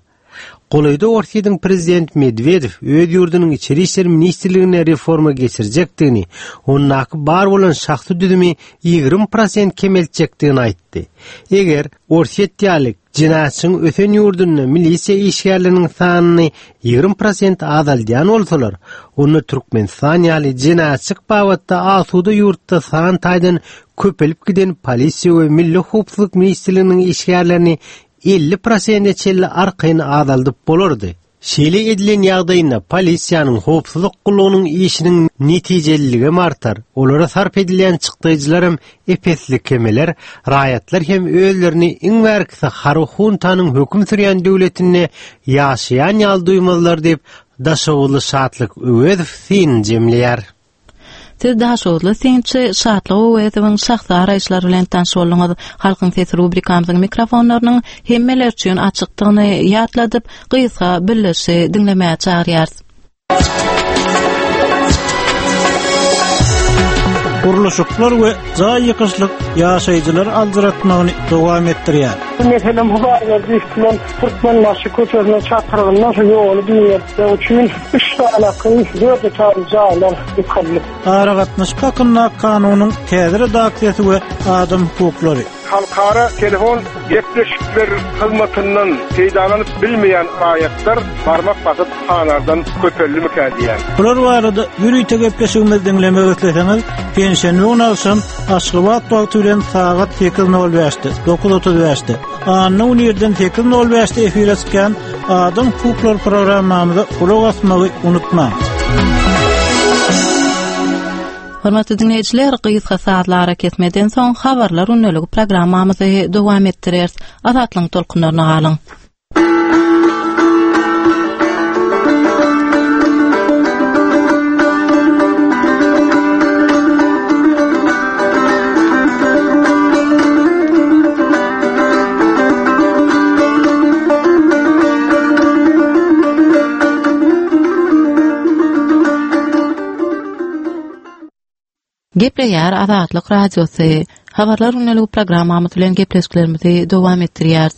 Golaýda Orsýetiň prezidenti Medwedew öz ýurdunyň Içeri işler ministrliginde reforma geçirjekdigini, ondaky bar bolan şahsy düzümi 20 prosent kemeltjekdigini aýtdy. Eger Orsýet ýaly Jenaýatçylygyň ösen ýurdunda milisiýa işgärleriniň sanyny 20 prosent azaldýan bolsalar, onda Türkmenistan ýaly jenaýatçylyk babatda asuda ýurtda san taýdan köpelip giden polisiýa we Milli howpsuzlyk ministrliginiň işgärlerini 50 prosente çenli arkaýyn azaldyp bolardy. Şeýle edilen ýagdaýynda polisiýanyň, howpsuzlyk gullugynyň işiniň netijeliligem artar, olara sarp edilýän çykdaýjylaram ep-esli kemeler, raýatlar hem özlerini iň bärkisi harby huntanyň höküm sürýän döwletinde ýaşaýan ýaly duýmazlar diýip, daşoguzly Şatlyk Öwezow synyny jemleýär. Siz daşoguzly synçy Şatlyk Öwezowyň şahsy garaýyşlary bilen tanyş bolduňyz. Halkyň sesi rubrikamyzyň mikrofonlarynyň hemmeler üçin açykdygyny ýatladyp, gysga bildirişi diňlemäge çagyrýarys. Gurluşyklar we jaý ýykyşlyk ýaşaýjylary aljyratmagyny dowam etdirýär. Meselem, Hudaýberdiýew bilen Türkmenbaşy köçesiniň çatrygynda şu ýoly giňeltmek üçin üç sanaky dört etažly jaýlar ýykyldy. Aragatnaşyk hakyndaky kanunyň täze redaksiýasy we adam hukuklary. Halkara telefon gepleşikler hyzmatyndan peýdalanyp bilmeýän raýatlar barmak basyp sanardan köpeldimikä diýýän. Bular barada ýörite gepleşigimizi diňlemek isleseňiz, penşenbe güni agşam Aşgabat wagty bilen sagat 8:05-de, 9:35-de, anna güni irden 8:05-de efire çykýan Adam hukuklary programmamyza gulak asmagy unutmaň. Hormatly diňleýjiler, gysga sazly arakesmeden soň Habarlar gündeligi programmamyzy dowam etdireris. Azatlygyň tolkunlaryna galyň. Gepleýär Azatlyk Radiosy. Habarlar gündeligi programmamyz bilen gepleşiklerimizi dowam etdirýäris.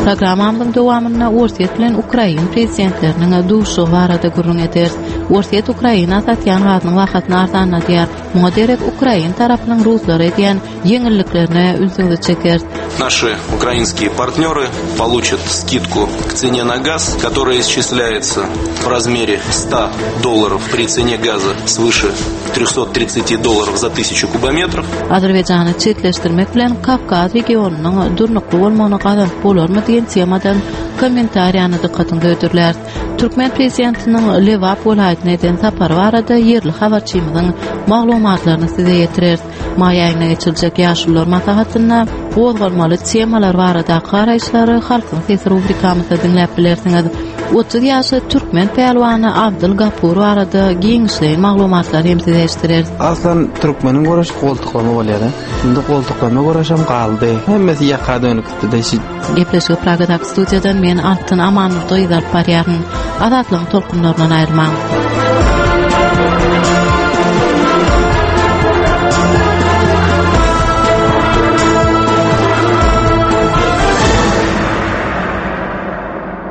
Programmamyzyň dowamynda Orsýet bilen Ukrain prezidentleriniň duşuşygy barada gürrüň ederis. Orsýet Ukraina satýan gazynyň bahasyny arzanladýar. Muňa derek ukrain tarapynyň ruslara edýän ýeňilliklerine ünsüňizi çekeris. Наши украинские партнеры получат скидку к цене на газ, которая исчисляется в размере 100 долларов при цене газа свыше 330 долларов за тысячу кубометров. Azerbaýjany çetleşdirmek bilen Kawkaz regionynyň durnukly bolmagyny gazanyp bolarmy diýen temadan kommentariýany dykgatyňyza hödürläris. Türkmen prezidentiniň Lebap welaýatyna eden sapary barada ýerli habarçymyzyň maglumatlaryny size ýetireris. Maý aýynda geçiriljek Ýaşulular maslahatynda gozgalmaly temalar baradaky garaýyşlary Halkyň sesi rubrikamyzda diňläp bilersiňiz. 30 ýaşly türkmen pälwany Abdyl Gapur barada giňişleýin maglumatlary hem size eşitdireris. Aslan türkmeniň göreşi goltuklama bolýar-a. Indi goltuklama göreşem galdy. Hemmesi ýaka dönük. Gepleşigi Pragadaky studiýadan men Altyn Amanurdyýewa alyp barýaryn. Azatlygyň tolkunlaryndan aýrylmaň.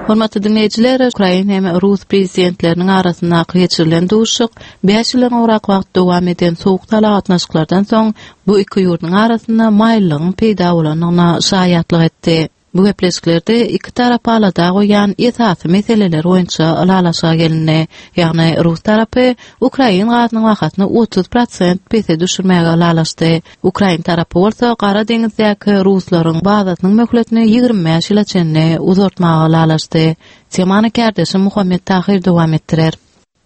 Hormatly diňleýjiler, Ukrain hem rus prezidentleriniň arasyndaky geçirilen duşuşyk 5 ýyldan gowrak wagt dowam eden sowuk-sala gatnaşyklardan soň bu iki ýurduň arasynda maýyllygyň peýda bolandygyna şaýatlyk etdi. Bu gepleşiklerde iki tarapy alada goýýan esasy meseleler boýunça ylalaşyga gelindi. Ýagny rus tarapy ukrain gazynyň bahasyny 30 prosent pese düşürmäge ylalaşdy. Ukrain tarapy bolsa Gara deňizdäki ruslaryň bazasynyň möhletini 25 ýyla çenli uzaltmaga ylalaşdy. Temany kärdeşim Muhammet Tahyr dowam etdirer.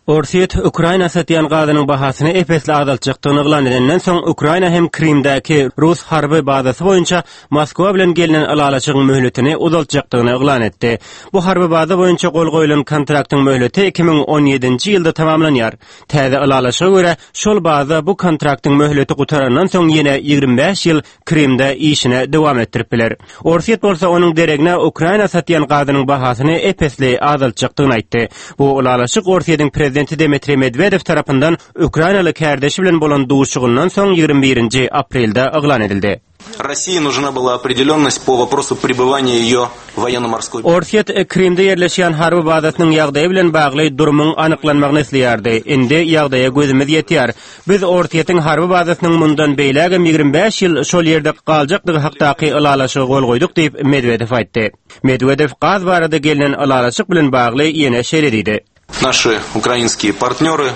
Orsýet Ukraina satýan gazynyň bahasyny ep-esli azaltjakdygyny yglan edenden soň, Ukraina hem Krymdaky rus harby bazasy boýunça Moskwa bilen gelnen ylalaşygyň möhletini uzaltjakdygyny yglan etdi. Bu harby baza boýunça gol goýlan kontraktyň möhleti 2017-nji ýylda tamamlanýar. Täze ylalaşyga görä, şol baza bu kontraktyň möhleti gutarandan soň ýene 25 ýyl Krymda işine dowam etdirip biler. Orsýet bolsa onuň deregine Ukraina satýan gazynyň bahasyny ep-esli azaltjakdygyny aýtdy. Bu ylalaşyk Orsýetiň prezidenti Dmitriý Medwedew tarapyndan ukrainaly kärdeşi bilen bolan duşuşygyndan soň 21-nji aprelde yglan edildi. России нужна была определенность по вопросу пребывания ее военно-морской Orsýet Krymda ýerleşýän harby bazasynyň ýagdaýy bilen bagly durumyň anyklanmagyny isleýärdi. Indi ýagdaýa gözümiz ýetýär. Biz Orsýetiň harby bazasynyň mundan beýlägem 25 ýyl şol ýerde galjakdygy hakdaky ylalaşyga gol goýduk diýip, Medwedew aýtdy. Medwedew gaz barada gelnen ylalaşyk bilen bagly ýene şeýle diýdi. Naşi ukrainskiý partnýory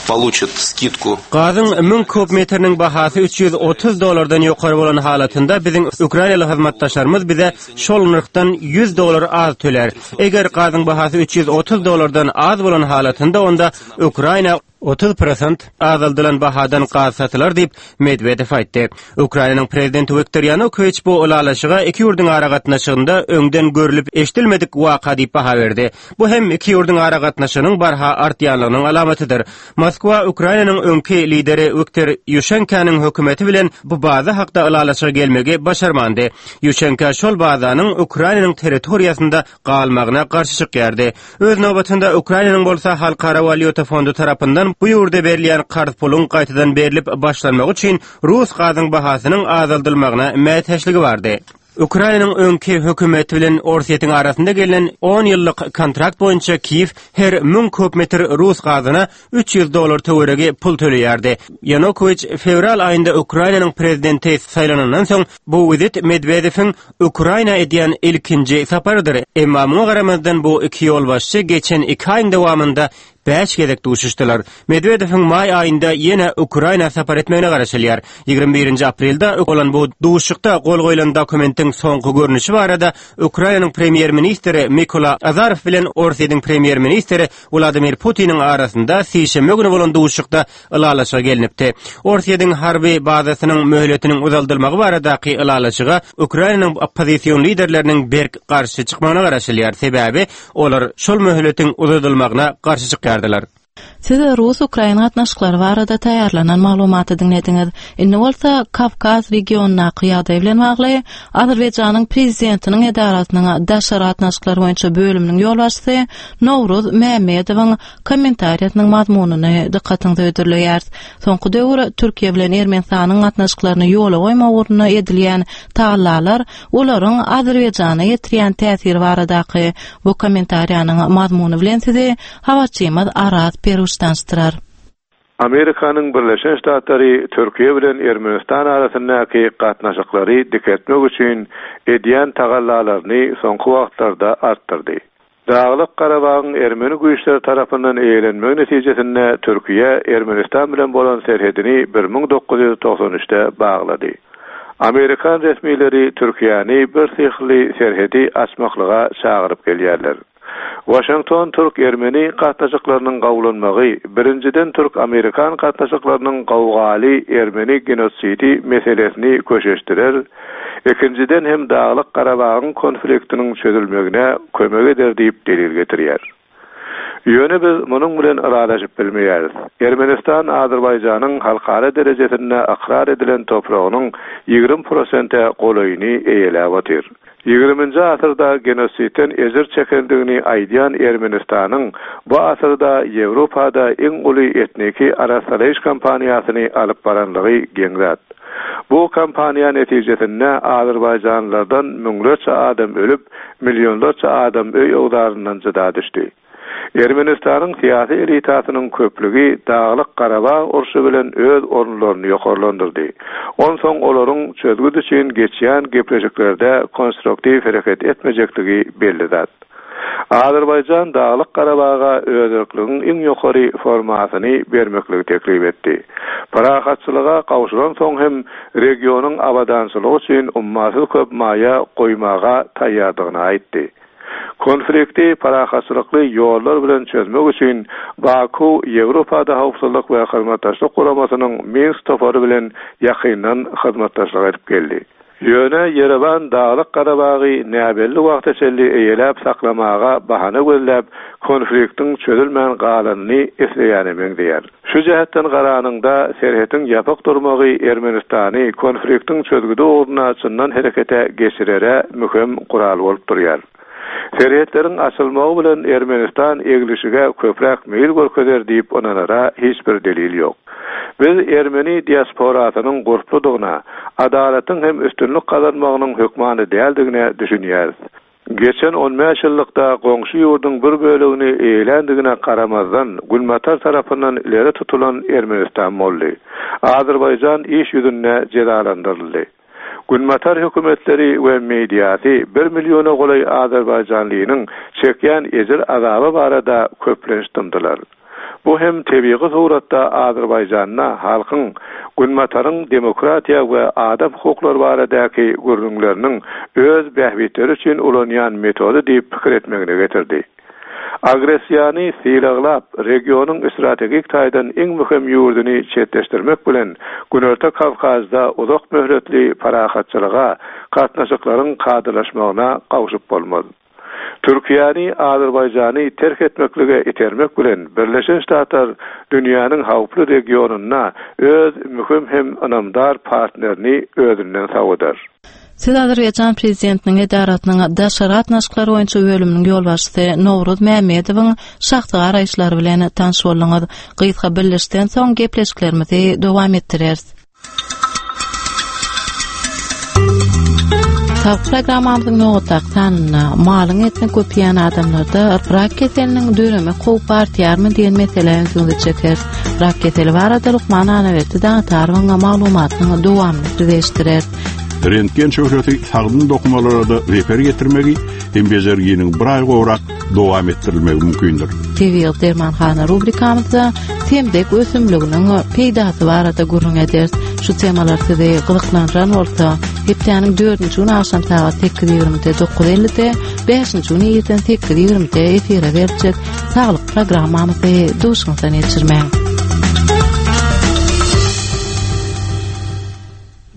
poluçat skidku. Gazyň 1000 kub metriniň bahasy 330 dollardan ýokary bolan halatynda biziň ukrainaly hyzmatdaşlarymyz bize şol nyrhdan 100 dollar az tölär. Eger gazyň bahasy 330 dollardan az bolan halatynda onda Ukraina 30 prosent azaldylan bahadan gaz satylar diýip, Medwedew aýtdy. Ukrainanyň prezidenti Wiktor Ýanukowiç bu ylalaşyga iki ýurduň aragatnaşygynda öňden görlüp-eşidilmedik waka diýip baha berdi. Bu hem iki ýurduň aragatnaşygynyň barha artýanlygynyň alamatydyr. Moskwa Ukrainanyň öňki lideri Wiktor Ýuşenkanyň hökümeti bilen bu baza hakda ylalaşyga gelmegi başarmandy. Ýuşenka şol bazanyň Ukrainanyň territoriýasynda galmagyna garşy çykýardy. Öz nobatynda Ukrainanyň bolsa Halkara walýuta fondy tarapyndan bu ýurda berilýän karz puluň gaýtadan berlip başlanmagy üçin rus gazyň bahasynyň azaldylmagyna mätäçligi bardy. Ukrainanyň öňki hökümeti bilen Orsýetiň arasynda gelnen on ýyllyk kontrakt boýunça Kiýew her 1000 kub metr rus gazyna 300 dollar töweregi pul töleýärdi. Ýanukowiç fewral aýynda Ukrainanyň prezidenti saýlanandan soň bu wizit Medwedewiň Ukraina edýän ilkinji saparydyr. Emma muňa garamazdan bu iki ýolbaşçy geçen iki aýyň dowamynda bäş gezek duşuşdylar. Medwedewiň maý aýynda ýene Ukraina sapar etmegine garaşylýar. Ýigrimi birinji aprelde bolan bu duşuşykda gol goýlan dokumentiň soňky görnüşi barada Ukrainanyň premýer-ministri Mikola Azarow bilen Orsýetiň premýer-ministri Wladimir Putiniň arasynda sişenbe güni bolan duşuşykda ylalaşyga gelnipdi. Orsýetiň harby bazasynyň möhletiniň uzaldylmagy baradaky ylalaşyga Ukrainanyň oppozision liderleriniň berk garşy çykmagyna garaşylýar, sebäbi olar şol möhletiň uzadylmagyna garşy çykýardylar. Siz rus-ukrain gatnaşyklary barada taýýarlanan maglumaty diňlediňiz. Indi bolsa Kawkaz regionyndaky ýagdaý bilen bagly Azerbaýjanyň Prezidentiniň edarasynyň daşary gatnaşyklar boýunça bölüminiň ýolbaşçysy Nowruz Mämmedowyň kommentariýasynyň mazmunyny dykgatyňyza hödürleýäris. Soňky döwür Türkiýe bilen Ermenistanyň gatnaşyklaryny ýola goýmak ugrunda edilýän tagallalar olaryň Azerbaýjana ýetirýän täsiri baradaky bu kommentariýanyň mazmuny bilen sizi habarçymyz Araz Peruş tanyşdyrar. Amerikanyň Birleşen Ştatlary Türkiýe bilen Ermenistan arasyndaky gatnaşyklary dikeltmek üçin edýän tagallalaryny soňky wagtlarda artdyrdy. Daglyk Garabagyň ermeni güýçleri tarapyndan eýelenmegi netijesinde Türkiýe Ermenistan bilen bolan serhedini 1993-de baglady. Amerikan resmileri Türkiýäni birsyhly serhedi açmaklyga çagyryp gelýärler. Waşington türk-ermeni gatnaşyklarynyň gowulanmagy, birinjiden türk-amerikan gatnaşyklarynyň gowgaly ermeni genosidi meselesini köşeşdirer, ikinjiden hem Daglyk Garabagyň konfliktiniň çözülmegine kömek eder diýip delil getirýär. Ýöne biz munuň bilen ylalaşyp bilmeýäris. Ermenistan Azerbaýjanyň halkara derejesinde ykrar edilen topragynyň 20 prosente golaýyny eýeläp otyr. Ýigriminji asyrda genosidden ejir çekendigini aýdýan Ermenistanyň bu asyrda Ýewropada iň uly etniki arassalaýyş kampaniýasyny alyp baranlygy geň zat. Bu kampaniýa netijesinde azerbaýjanlylardan müňlerçe adam ölüp, millionlarça adam öý-öwzaryndan jyda düşdi. Ermenistanyň syýasy elitasynyň köplügi Daglyk Garabag urşy bilen öz orunlaryny ýokarlandyrdy. Onsoň olaryň çözgüt üçin geçýän gepleşiklerde konstruktiw hereket etmejekdigi belli zat. Azerbaýjan Daglyk Garabaga özerkligiň iň ýokary formasyny bermekligi teklip etdi. Parahatçylyga gowşulansoň hem regionyň abadançylygy üçin ummasyz köp maýa goýmaga taýýardygyny aýtdy. Konflikti parahatçylykly ýollar bilen çözmek üçin Baku Ýewropada Howpsuzlyk we Hyzmatdaşlyk Guramasynyň Minsk topary bilen ýakyndan hyzmatdaşlyk edip geldi. Ýöne Ýerewan Daglyk Garabagy näbelli wagta çenli eýeläp saklamaga bahana gözläp, konfliktiň çözülmän galanyny isleýäne meňzeýär. Şu jähetden garanyňda, serhetiň ýapyk durmagy Ermenistany konfliktiň çözgüdi ugrunda çyndan herekete geçirere möhüm gural bolup durýar. Serhetleriň açylmagy bilen Ermenistan eglişige köpräk meýil görkezer diýip ynanara hiç bir delil ýok. Biz ermeni diasporasynyň gurpludygyna, adalatyň hem üstünlik gazanmagynyň hökmany däldigine düşünýäris. Geçen on bäş ýyllykda goňşy ýurduň bir bölegini eýeländigine garamazdan, Günbatar tarapyndan ileri tutulan Ermenistan boldy. Azerbaýjan iş ýüzünde jezalandyryldy. Günbatar hökümetleri we mediasy bir milliona golaý azerbaýjanlynyň çekýän ejir-azaby barada köplenç dymdylar. Bu hem tebigy suratda Azerbaýjanda halkyň Günbataryň demokratiýa we adam hukuklary baradaky gürrüňleriniň öz bähbitleri üçin ulanýan metody diýip pikir etmegine getirdi. Agressiýany sylaglap, regionyň strategik taýdan iň möhüm ýurduny çetleşdirmek bilen Günorta Kawkazda uzak möhletli parahatçylyga, gatnaşyklaryň kadalaşmagyna gowşup bolmaz. Türkiýäni Azerbaýjany terk etmeklige itermek bilen Birleşen Ştatlar dünýäniň howply regionynda öz möhüm hem ynamdar partnerini özünden sowudar. Siz Azerbaýjan Prezidentiniň edarasynyň daşary gatnaşyklar boýunça bölüminiň ýolbaşçysy Nowruz Mämmedowyň şahsy garaýyşlary bilen tanyş bolduňyz. Gysga bildirişden soň gepleşiklerimizi dowam etdireris. Saglyk programmamyzyň nobatdaky sanynda malyň etini köp iýen adamlarda rak keseliniň döremek howpy artýarmy diýen meselä ünsüňizi çekeris. Rak keseli barada lukman Annaberdi Daňatarowyň maglumatynyň dowamyny size eşitdireris. Rentgen şöhlesi sagdyn dokumalara-da zeper ýetirmegi hem bejerginiň bir aý gowrak dowam etdirilmegi mümkindir. Tebigy dermanhana rubrikamyzda semzek ösümliginiň peýdasy barada gürrüň ederis. Şu temalar sizi gyzyklandyran bolsa, hepdäniň dördünji güni agşam sagat 8:20-de, 9:50-de, bäşinji güni irden 8:20-de efire beriljek Saglyk programmamyzy duşuňyzdan geçirmäň.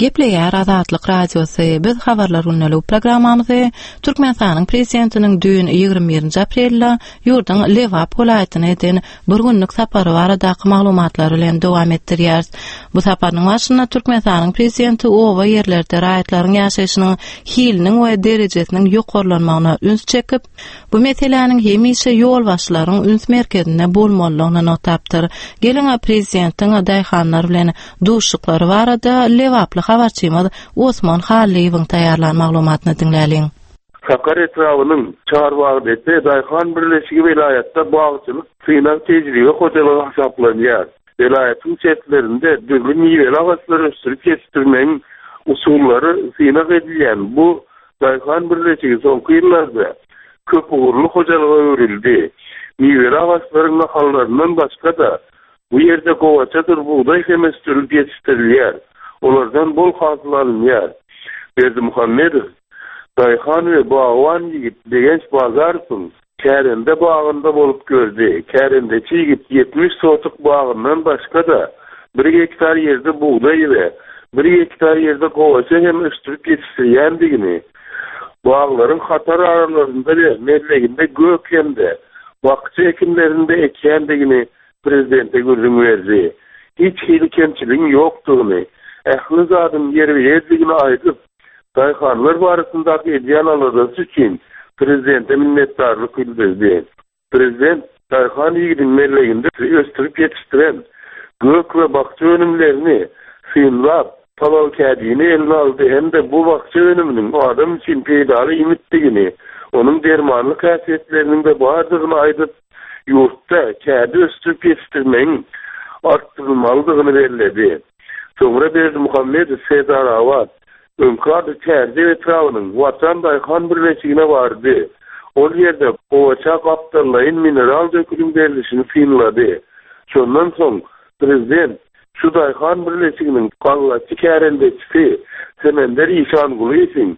Gepleýär Azatlyk Radiosy, biz Habarlar gündeligi programmamyzy Türkmenistanyň Prezidentiniň düýn 21-nji aprelde ýurduň Lebap welaýatyna eden bir günlük sapary baradaky maglumatlar bilen dowam etdirýäris. Bu saparynyň barşynda Türkmenistanyň Prezidenti oba ýerlerde raýatlaryň ýaşaýşynyň hiliniň we derejesiniň ýokarlanmagyna üns çekip, Bu meseläniň hemişe ýolbaşçylaryň üns merkezinde bolmalydygyny nygtapdyr. Geliň, prezidentiň daýhanlar bilen duşuşyklary barada lebaply habarçymyz Osman Hallyýewiň taýýarlan maglumatyny diňläliň. Sakar etrabynyň Çarbagdepe daýhan birleşigi welaýatda bagçylyk synag-tejribe hojalygy hasaplanýar. Welaýatyň çetlerinde dürli miweli agaçlary ösdürip ýetişdirmegiň usullary synag edilýän bu daýhan birleşigi soňky ýyllarda köpugurly hojalyga öwrüldi. Miweli agaçlaryň nahallaryndan başga-da, bu ýerde gowaçadyr bugdaý hem ösdürilip ýetişdirilýär, olardan bol hasyl alynýar. Berdimuhamedow daýhan we bagban ýigit Begenç Bazarowyň Kärende bagynda bolup gördi. Kärendeçi ýigit 70 sotuk bagyndan başga-da, bir gektar ýerde bugdaý we bir gektar ýerde gowaça hem ösdürip ýetişdirýändigini, baglaryň hatar aralarynda we melleginde gök hem-de bakja ekinlerini-de ekýändigini prezidente gürrüň berdi. Hiç hili kemçiligiň ýokdugyny, ähli zadyň ýerbe-ýerdigini aýdyp, daýhanlar barasyndaky edýän aladasy üçin prezidente minnetdarlyk bildirdi. Prezident daýhan ýigidiň melleginde ösdürip ýetişdiren gök we bakja önümlerini synlap, palawkädini eline aldy hem-de bu bakja önüminiň adam üçin peýdaly iýmitdigini, onuň dermanlyk häsiýetleriniň-de bardygyny aýdyp, ýurtda kädi ösdürip ýetişdirmegiň artdyrylmalydygyny belledi. Soňra Berdimuhamedow Serdarabat, öňki ady Çärjew etrabynyň Watan daýhan birleşigine bardy. Ol ýerde gowaça gapdallaýyn mineral döküniň berlişini synlady. Şondan soň prezident şu daýhan birleşiginiň gallaçy kärendeçisi Semender Işangulyýewiň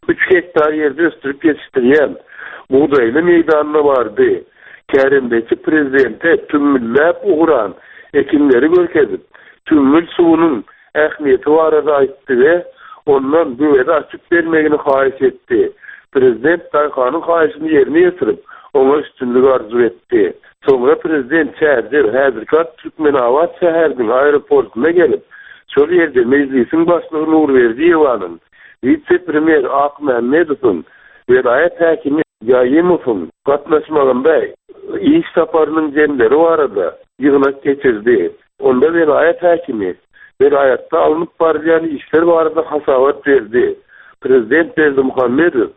üç gektar ýerde ösdürip ýetişdirýän bugdaýly meýdanyna bardy. Kärendeçi prezidente tümmülläp ugran ekinleri görkezip, tümmül suwunyň ähmiýeti barada aýtdy we ondan böwedi açyp bermegini haýyş etdi. Prezident daýhanyň haýyşyny ýerine ýetirip, oňa üstünlik arzuw etdi. Soňra prezident Çärjew, häzirki ady Türkmenabat şäheriniň aeroportuna gelip, şol ýerde Mejlisiň başlygy Nurberdiýewanyň, wise-premýer Akmämmedowyň, welaýat häkimi Ýaýymowyň gatnaşmagynda iş saparynyň jemleri barada ýygnak geçirdi. Onda welaýat häkimi welaýatda alnyp barylýan işler barada hasabat berdi. Prezident Berdimuhamedow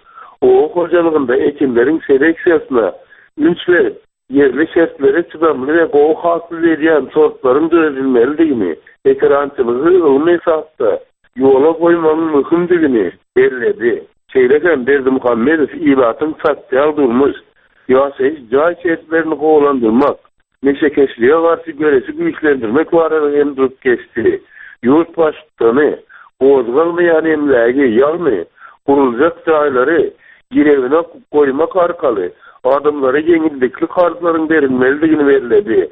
oba hojalygynda ekinleriň seleksiýasyna üns berip, ýerli şertlere çydamly we gowy hasyl berýän sortlaryň döredilmelidigini, ekerançylygy ylmy esasda ýola goýmagyň möhümdigini belledi. Şeýle hem Berdimuhamedow ilatyň sosial-durmuş, ýaşaýyş jaý şertlerini gowulandyrmak, neşekeşlige garşy göreşi güýçlendirmek barada hem durup geçdi. Ýurt Baştutany gozgalmaýan emlägi, ýagny guruljak jaýlary girewine goýmak arkaly adamlara ýeňillikli karzlaryň berilmelidigini belledi.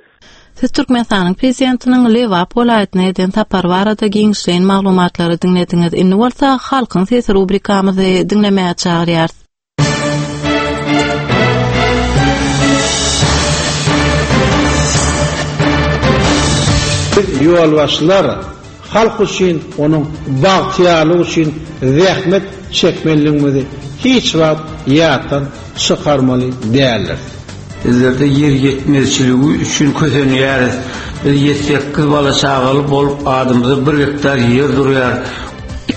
Siz Türkmenistanyň Prezidentiniň Lebap welaýatyna eden sapary barada giňişleýin maglumatlary diňlediňiz. Indi bolsa Halkyň sesi rubrikamyzy diňlemäge çagyrýarys. Biz ýolbaşçylar halk üçin, onuň bagtyýarlygy üçin zähmet çekmelidigimizi hiç wagt ýatdan çykarmaly däldiris. Bizlerde ýer ýetmezçiligi üçin kösenýäris. Biz ýedi-sekiz bala-çagaly bolup, adymyza bir gektar ýer durýar.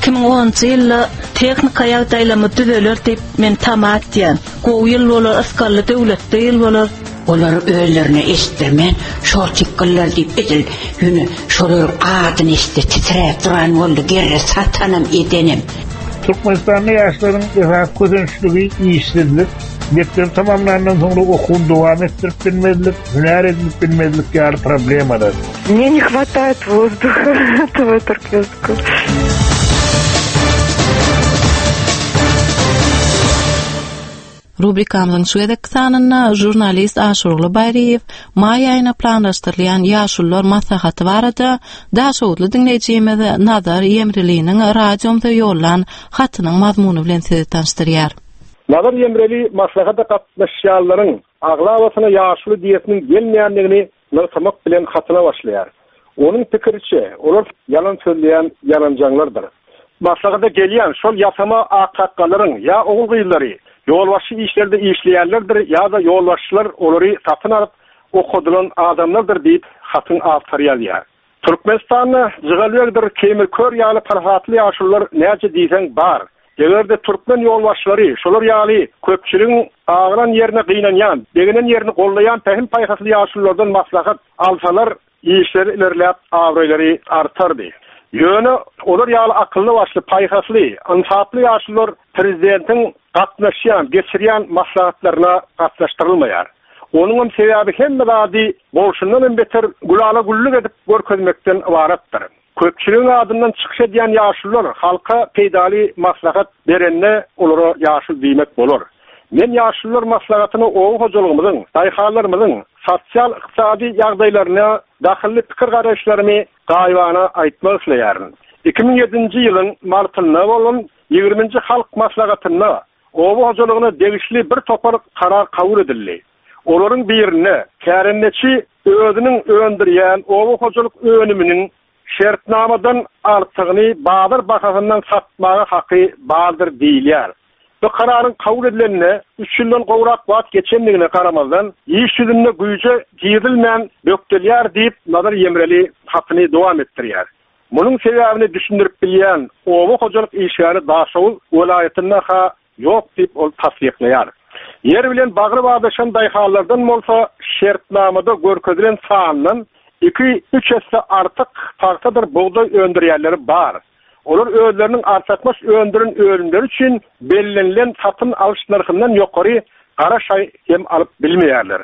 2010-njy ýylda tehnika ýagdaýlarymyz düzeler diýip men tama etýän. Gowy ýyl bolar, ysgally döwletli ýyl bolar. Olar özlerine eşitdirmän şortikgyllar diýip edil ýöne şolaryň adyny eşitse titräp duran boldy gerre satanam edenem. Türkmenistanda ýaşlaryň esasy kösençligi işsizlik, mekdebi tamamlandan soňra okuwyny dowam etdirip bilmezlik, hünär edinip bilmezlik ýaly problemalar. Мне не хватает воздуха этого туркменского. Rubrikamyzyň şu gezekki sanynda žurnalist Aşyrguly Baýryýew maý aýyna planlaşdyrylýan Ýaşulular maslahaty barada daşoguzly diňleýjimiz Nazar Ýemreliniň radiomyza ýollan hatynyň mazmuny bilen sizi tanyşdyrýar. Nazar Ýemreli maslahata gatnaşýanlaryň aglabasyna ýaşuly diýesiniň gelmeýändigini nygtamak bilen hatyna başlaýar. Onuň pikiriçe, olar ýalan sözleýän ýalanjaňlardyr. Maslahata gelýän şol ýasama aksakgallaryň ýa ogul-gyzlary ýolbaşçy işlerde işleýänlerdir ýa-da ýolbaşçylar olary satyn alyp okadylan adamlardyr diýip, hatyň awtory ýazýar. Türkmenistanda Jygalbegdir Keýmir kör ýaly parasatly ýaşulular näçe diýseň bar. Eger-de türkmen ýolbaşçylary şolar ýaly köpçüligiň agran ýerine gynanýan, begenen ýerini gollaýan pähim-paýhasly ýaşululardan maslahat alsalar, işleri ilerläp, abraýlary artardy. Ýöne olar ýaly akylly-başly, paýhasly, ynsaply ýaşulular prezidentiň gatnaşýan, geçirýän maslahatlaryna gatnaşdyrylmaýar. Onuňam sebäbi hemme zady bolşundan hem beter gülala-güllük edip görkezmekden ybaratdyr. Köpçüligiň adyndan çykyş edýän ýaşulular halka peýdaly maslahat berende olara ýaşuly diýmek bolar. Men ýaşulular maslahatyna oba hojalygymyzyň, daýhanlarymyzyň sosial-ykdysady ýagdaýlaryna dahylly pikir-garaýyşlarymy gaýybana aýtmak isleýärin. 2007-nji ýylyň martynda bolan ýigriminji Halk maslahatynda oba hojalygyna degişli bir topar karar kabul edildi. Olaryň birinde kärendeçi özüniň öndürýän oba hojalyk önüminiň şertnamadan artygyny bazar bahasyndan satmaga haky bardyr diýilýär. Bu kararyň kabul edilenine üç ýyldan gowrak wagt geçendigine garamazdan, iş ýüzünde güýje girizilmän bökdelýär diýip, Nazar Ýemreli hatyny dowam etdirýär. Munuň sebäbini düşündirip bilýän oba hojalyk işgäri Daşoguz welaýatynda-ha ýok diýip, ol tassyklaýar. Ýer bilen bagry badaşan daýhanlardan bolsa şertnamada görkezilen sandan iki-üç esse artyk pagtadyr bugdaý öndürýänleri bar. Olar özleriniň artykmaç öndüren önümleri üçin bellenilen satyn alyş nyrhyndan ýokary gara şaý hem alyp bilmeýärler.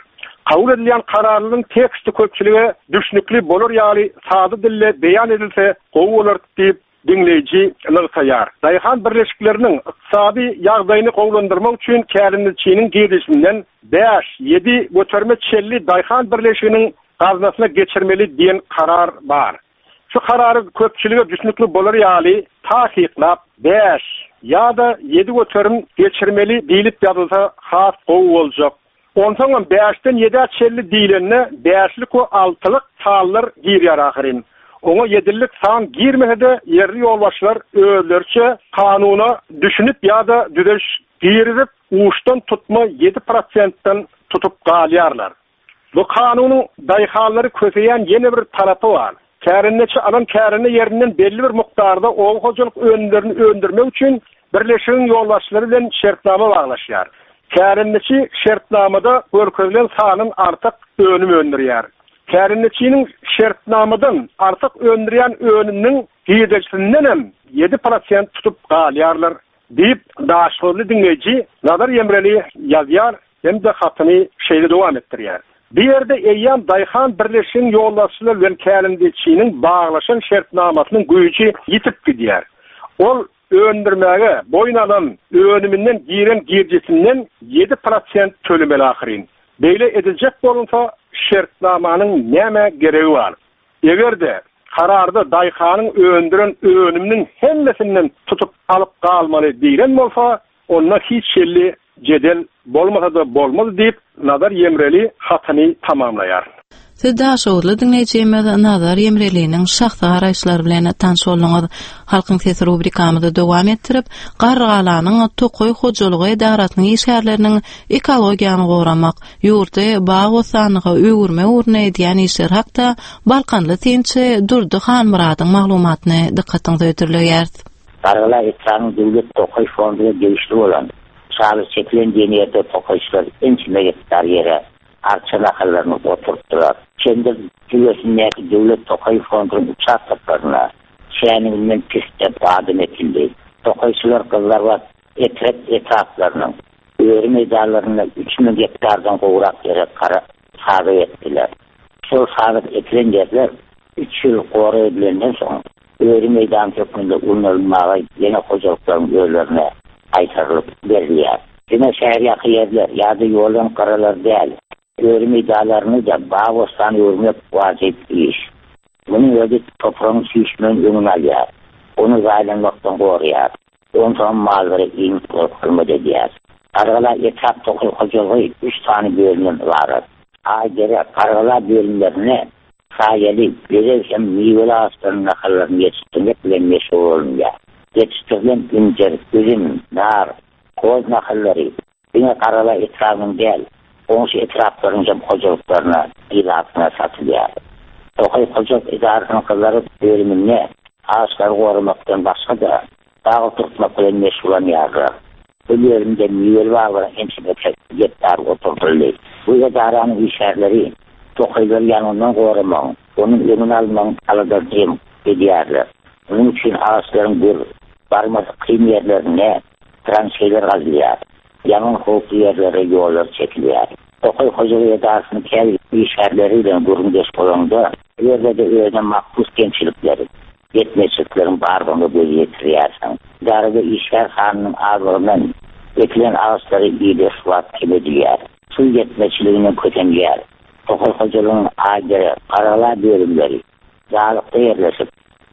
Kabul edilýän kararlaryň teksti köpçülige düşnükli bolar ýaly sada dilde beýan edilse gowy bolar diýip, diňleýji nygtaýar. Daýhan birleşikleriniň ykdysady ýagdaýyny gowulandyrmak üçin kärendeçiniň girdejisinden bäş, ýedi göterime çenli daýhan birleşiginiň gaznasyna geçirmeli diýen karar bar. Şu karary köpçülige düşnükli bolar ýaly takyklap, bäş ýa-da 7% geçirmeli diýlip ýazylsa has gowy boljak. Onsoňam bäşden ýedä çenli diýlende bäşlik we altylyk sanlar girýär ahyryn. Oňa ýedilik san girmese-de ýerli ýolbaşçylar özleriçe kanuna düşünip ýa-da düzediş girizip uçdan tutma ýedi prosentden tutup galýarlar. Bu kanunyň daýhanlary köseýän ýene bir tarapy bar. Kärendeçi alan kärende ýerinden belli bir mukdarda oba hojalyk önümlerini öndürmek üçin birleşigiň ýolbaşçylary bilen şertnama baglaşýar. Kärendeçi şertnamada görkezilen sandan artyk önüm öndürýär. Kärendeçiniň şertnamadan artyk öndürýän önüminiň girdejisinden hem 7% tutup galýarlar diýip, daşoguzly diňleýji Nazar Ýemreli ýazýar. Hem-de hatyny şeýle dowam etdirýär, Bu ýerde eýýäm daýhan birleşigiň ýolbaşçylary bilen kärendeçiniň baglaşan şertnamasynyň güýji ýitip gidýär. Ol öndürmäge boýun alan önüminden giren girjisinden 7% tölemeli ahyryn. Beýle ediljek bolunsa, şertnamanyň nämä geregi bar? Eger-de, kararda daýhanyň öndüren önüminiň hemmesinden tutup alyp galmaly diýlen bolsa, onda hiç hili jedel bolmasa-da bolmaz diýip, Nazar Ýemreli hatyny tamamlaýar. Siz daşoguzly diňleýjimiz Nazar Ýemreliniň şahsy garaýyşlary bilen tanyş bolduňyz. Halkyň sesi rubrikamyzy dowam etdirip, Garrygalanyň tokaý hojalygy edarasynyň işgärleriniň ekologiýany goramak, ýurdy bagy-bossanlyga öwürmek ugrunda edýän işleri hakda balkanly synçy Durdy Hanmyradyň maglumatyny dykgatyňyza hödürleýäris. Gargala etrabynyň döwlet tokaý fonduna degişli bolan Şaly çekilen diýen ýerde tokaýçylar ençeme gektar ýere arça nahallaryny oturtdylar. Çendir jülgesindäki döwlet tokaý fondunyň uçastoklarynda şäniginden pisse badam ekildi. Tokaýçylar Gyzlarbat, Etrek etraplarynyň öri meýdanlarynda 3000 gektardan gowrak ýere gara sazak ekdiler. Şol sazak ekilen ýerler üç ýyl gorag edilenden soň, öri meýdany hökmünde ulanylmaga ýene hojalyklaryň özlerine gaýtarylyp berilýär. Diňe şäherýaka ýerler ýa-da ýoldan gyralar däl, öri meýdanlaryny-da bag-bossan öwürmek wajyp iş. Munuň özi topragyň süýşmeginiň öňüni alýar, ony zaýalanmakdan goraýar. Onsoňam mallara iýmit bolup hyzmat edýär. Gargala etrap tokaý hojalygy üç sany bölümden ybarat. Aýdere, Gargala bölümlerinde saýaly, bezeg hem miweli agaçlaryň nahallaryny ýetişdirmek bilen meşgul bolunýar. Ýetişdirilen injir, üzüm, nar, hoz nahallary Diňe Garala etrabynyň däl, goňşy etraplaryň hem hojalyklaryna, ilatyna satylýar. Tokaý hojalyk edarasynyň Gyzlaryp bölüminde agaçlary goramakdan başga-da, bag oturtmak bilen meşgullanýarlar. Bu bölümde miweli baglaryň ençemesi gektar oturdyldy. Bu edaranyň işgärleri tokaýlary ýangyndan goramagyň, onuň öňüni almagyň aladasyny hem edýärler. Munuň üçin agaçlaryň gür, barmasy kyn ýerlerinde Tranşeýler gazylýar. Ýangyn howply ýerlere ýollar çekilýär. Tokaý hojalyk edarasynyň käbir işgärleri bilen gürrüňdeş bolaňda, bu ýerde-de özüne mahsus kemçilikleriň, ýetmezçilikleriň bardygyna göz ýetirýärsiň. Edarada işgär sanynyň azlygyndan ekilen agaçlara ideg suwap kem edilýär. Suw ýetmezçiliginden kösenilýär. Tokaý hojalygynyň Aýdere, Garagala bölümleri Dagykda ýerleşip,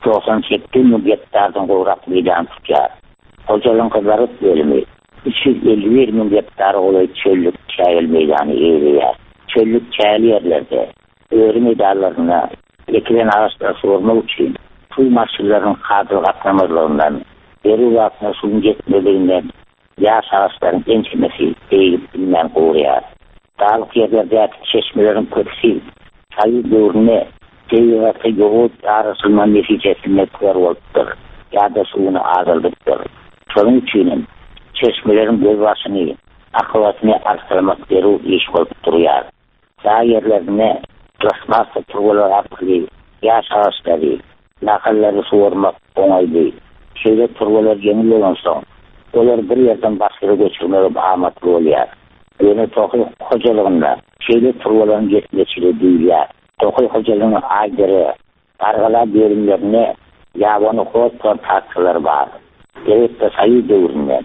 98 müň gektardan gowrak meýdany tutýar. Hojalygyň Gyzlaryt bölümi 351 müň gektara golaý çöllük çägeli meýdany eýeleýär. Çöllük çägeli ýerlerde, öri meýdanlarynda ekilen agaçlary suwarmak üçin suw maşynlarynyň kadaly gatnamazlygyndan, zerur wagtynda suwuň ýetmezliginden ýaş agaçlaryň ençemesi beýigip bilmän guraýar. Daglyk ýerlerdäki çeşmeleriň köpüsi Soýuz döwründe tebigata ýowuz daraşylma netijesinde kör bolupdyr ýa-da suwuny azaldypdyr. Şonuň üçinem çeşmeleriň gözbaşyny, akabasyny arssalamak zerur iş bolup durýar. Dag ýerlerinde plastmassa turbalar arkaly ýaş agaçlary, nahallary suwarmak oňaýly. Şeýle turbalar ýeňil bolansoň, olary bir ýerden başga ýere göçürmegem amatly bolýar. Ýöne tokaý hojalygynda şeýle turbalaryň ýetmezçiligi duýulýar. Tokaý hojalygynyň Aýdere, Gargala bölümlerinde ýabany hoz plantasiýalary bar. Elbetde, soýuz döwründe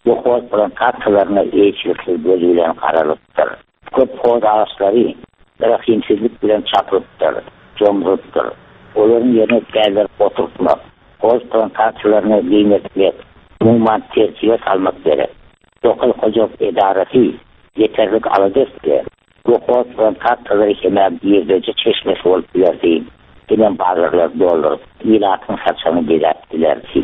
bu hoz plantasiýalaryna eýeçiliksiz göz bilen garalypdyr. Köp hoz agaçlary rehimsizlik bilen çapylypdyr, jomrulypdyr. Olaryň ýerine täzeleri oturtmak, hoz plantasiýalaryny giňeltmek, umuman tertibe salmak gerek. Tokaý hojalyk edarasy ýeterlik alada etse, bu hoz plantasiýalary hem-ä girdeji çeşmesi bolup bilerdi, hemem bazarlary dolduryp, ilatyň saçagyny bezäp bilerdi.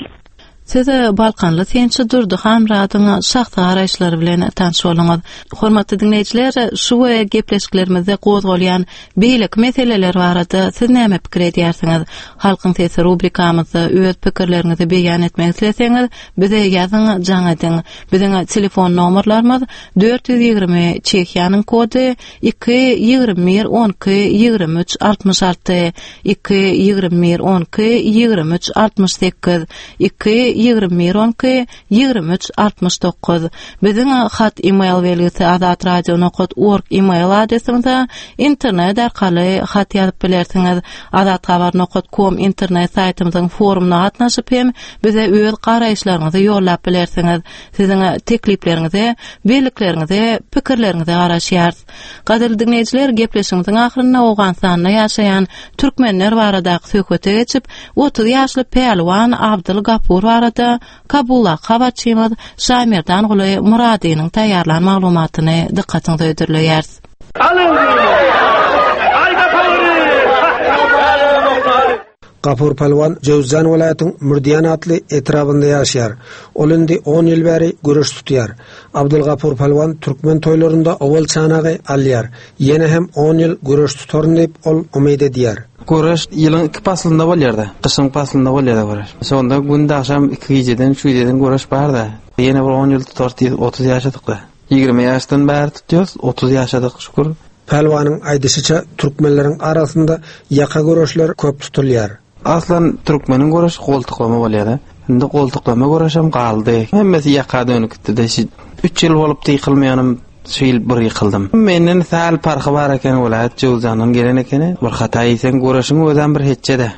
Siz balkanly synçy Durdy Hanmyradyň şahsy garaýyşlary bilen tanyş bolduňyz. Hormatly diňleýjiler, şu we gepleşiklerimizde gozgalýan beýleki meseleler barada siz näme pikir edýärsiňiz? Halkyň sesi rubrikamyzda öz pikirleriňizi beýan etmek isleseňiz, bize ýazyň, jaň ediň. Biziň telefon nomerlarymyz 420 Çehiýanyň kody 2 21 12 23 66 2 21 12 23 68 2 21 12 23 69 Biziň hat e-mail belgisi azatradio nokat org e-mail adresimize internet arkaly hat ýazyp bilersiňiz. Azathabar nokat kom internet saýtymyzyň forumyna gatnaşyp hem bize öz garaýyşlaryňyzy ýollap bilersiňiz. Siziň teklipleriňize, bellikleriňize, pikirleriňize garaşýarys. Gadyrly diňleýjiler, gepleşigimiziň ahyrynda Owganystanda ýaşaýan türkmenler baradaky söhbete geçip, 30 ýaşly pälwan Abdyl Gapur barada Kabuldaky habarçymyz Şaýmerdanguly Myradynyň taýýarlan maglumatyny dykgatyňyza hödürleýäris. Gapur pälwan Jöwüzjan welaýatyň Mürdiýan atly etrabynda ýaşaýar. Ol indi on ýyl bäri göreş tutýar. Abdylgapur pälwan türkmen toýlarynda owal çanagy alýar. Ýene hem on ýyl göreş tutaryn diýip, ol umyt edýär. Göreş ýylyň iki paslynda bolýar-da. Gyşyň paslynda bolýar-da göreş. Şonda günde agşam iki gijeden, üç gijeden göreş bar-da. Ýene bir on ýyl tutarys diýip, 30 ýaşadyk-da. 20 ýaşdan bäri tutýarys, 30 ýaşadyk şükür. Pälwanyň aýdyşyça, türkmenleriň arasynda ýaka göreşler köp tutulýar. Aslan türkmeniň göreşi goltuklama bolýar-da. Indi goltuklama göreşem galdy. Hemmesi ýaka dönüp gitdi-de. Şu üç ýyl bolupdy ýykylmaýanym, şu ýyl bir ýykyldym. Menden sähel parhy bar eken, welaýat Jöwüzjandan gelen ekeni. Bir hata iýseň göreşiň özem bir hetje-de.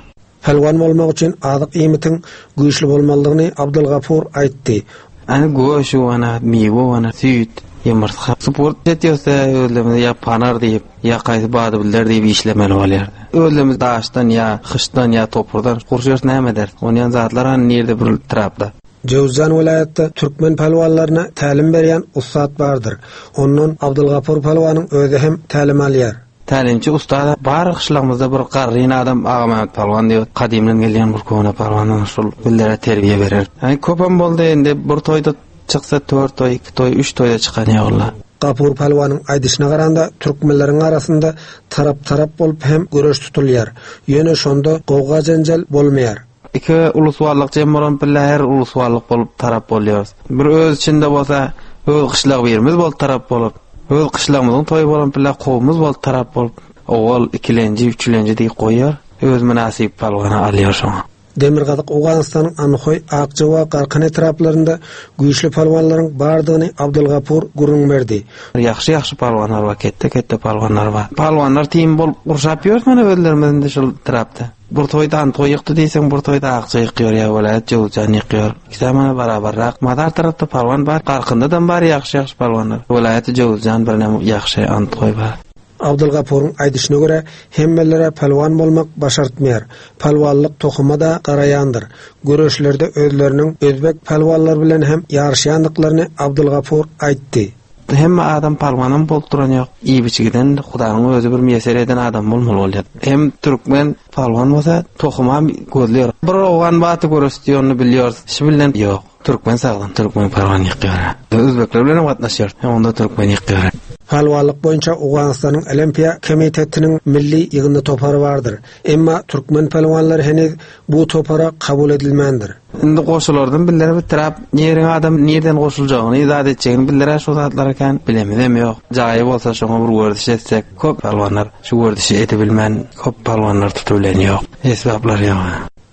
Pälwan bolmak üçin azyk iýmitiň güýçli bolmalydygyny Abdylgapur aýtdy. Ana göşi wana, miwe wana, süýt, ýumurtga. Sport etýärse özlerimize ýa panar diýip, ýa kaýsy badybiller diýip işlemeli bolýar. Özlerimiz daşdan ýa hyşdan ýa topurdan gurşarys näme ederis. Onýan zatlar hany nirde bir trapda. Jöwüzjan welaýatda türkmen pälwanlaryna tälim berýän ussat bardyr. Ondan Abdylgapur pälwanyň özi hem tälim alýar. Tälimçi ussat bar gyşlagymyzda bir garryn adam Agamämmet palwan diýip gadymdan gelýän bir köne palwan şol bizlere terbiýe berer. Ýani köpem boldy indi bir toýda çyksa tört toý iki toý üç toýda çykan ýolla. Gapur pälwanyň aýdyşyna garanda türkmenleriň arasynda tarap-tarap bolup hem göreş tutulýar. Ýöne şonda gowga-jenjel bolmaýar. Iki uluswallyk jem bolan pille her uluswallyk bolup tarap bolýarys. Bir öz içinde bolsa öz gyşlag birimiz bolup tarap bolup, öz gyşlagymyzyň toýy bolan pille kowumyz bolup tarap bolup, owal ikilenji, üçülenji diýip goýýar, öz mynasyp palwany alýar şoňa. Demirgazyk Owganystanyň Anhoý, Akja we Garkan etraplarynda güýçli palwanlaryň bardygyny Abdylgapur gürrüň berdi. Ýagşy-ýagşy palwanlar bar, ketde-ketde palwanlar bar. Palwanlar tim bolup gurşap ýörüs mana özlerimiz indi şol etrapda. Bir toýda Antoý ýykdy diýseň, bir toýda Akja ýykýar ýa welaýat Jöwüzjan ýykýar. Ikisem mana barabarrak. Mazar tarapda palwan bar, Garkyndadam bar ýagşy-ýagşy palwanlar. Welaýaty Jöwüzjan birinem ýagşy Antgoý bar. Abdylgapuryň aýdyşyna görä, hemmelere pälwan bolmak başartmaýar. Pälwanlyk tohuma-da garaýandyr. Göreşlerde özleriniň özbek pälwanlary bilen hem ýaryşýandyklaryny Abdylgapur aýtdy. Hemme adam palwanam bolup duran ýok. Iýip-içgiden Hudaýyň özi bir miýesser eden adam bolmaly bolýar. Hem türkmen palwan bolsa tohumam gözleýär. Bir owgan baty göreş diýenini bilýäris. Şi bilen ýok. Türkmen sagdyn, türkmen palwan ýykýar. Özbekler bilenem gatnaşýar. Onda türkmen ýykýar. Palwanlyk boýunça Owganystanyň Olimpiýa komitetiniň milli ýygyndy topary bardyr. Emma türkmen pälwanlary heniz bu topara kabul edilmändir. Indi goşulardan bizlere bitirap niriň adam nirden goşuljagyny zat etjegini bizlere şu zatlary kän bilemizem ýok. Jaýy bolsa şoňa bir werziş etsek köp palwanlar şu werzişi edibilmän köp palwanlar tutubilen ýok. Esbaplar ýok.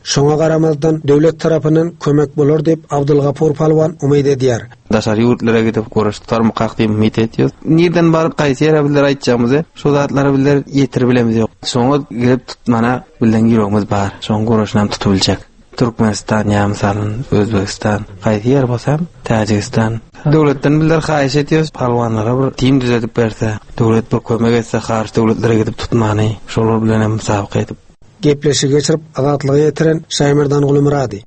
Şoňa garamazdan, döwlet tarapyndan kömek bolar diýip, Abdylgapur palwan umyt edýär. Daşary ýurtlara gidip göreş tutarmykak diýip umyt etýäs. Nirden baryp gaýsy ýere bizler aýtjagymyzy şu zatlary bizler ýetiribilemiz ýok. Şoňa gelip tutmana bizleň ýüregimiz bar. Şoň göreşinem tutubiljek. Türkmenistan ýa mysalyn Özbegistan gaýsy ýer bolsam Täjigistan. Döwletden bizler haýyş edýäs palwanlara bir tim düzedip berse, döwlet bir kömek etse haryç döwletlere gidip tutmany şolar bilenem musabaka edip. Gepleşigi geçirip Azatlyga ýetiren Şaýmerdan Gulumyrady.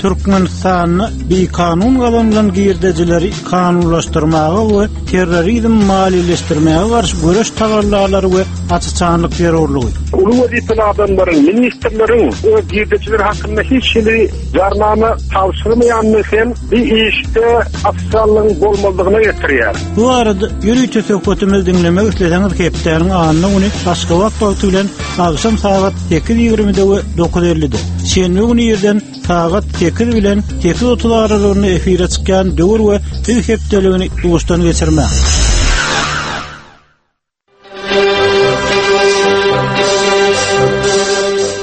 Türkmenistanda bikanun gazanylan girdejileri kanunlaşdyrmaga we terrorizm maliýeleşdirmäge garşy göreş tagallalary we aç-açanlyk zerurlygy. Uly wezipeli adamlaryň, ministrleriň öz girdejileri hakynda hiç hili jarnama tabşyrmaýandygy hem bu işde ofitsiallygyň bolmazlygyna getirýär. Bu barada ýörite söhbetimizi diňlemek isleseňiz hepdäniň anna güni Aşgabat wagty bilen agşam sagat 8:20-de we 9:50-de, şenbe güni irden sagat 8 bilen 8:30 aralygynda efire çykýan Döwür we Biz hepdeligini duşdan geçirmäň.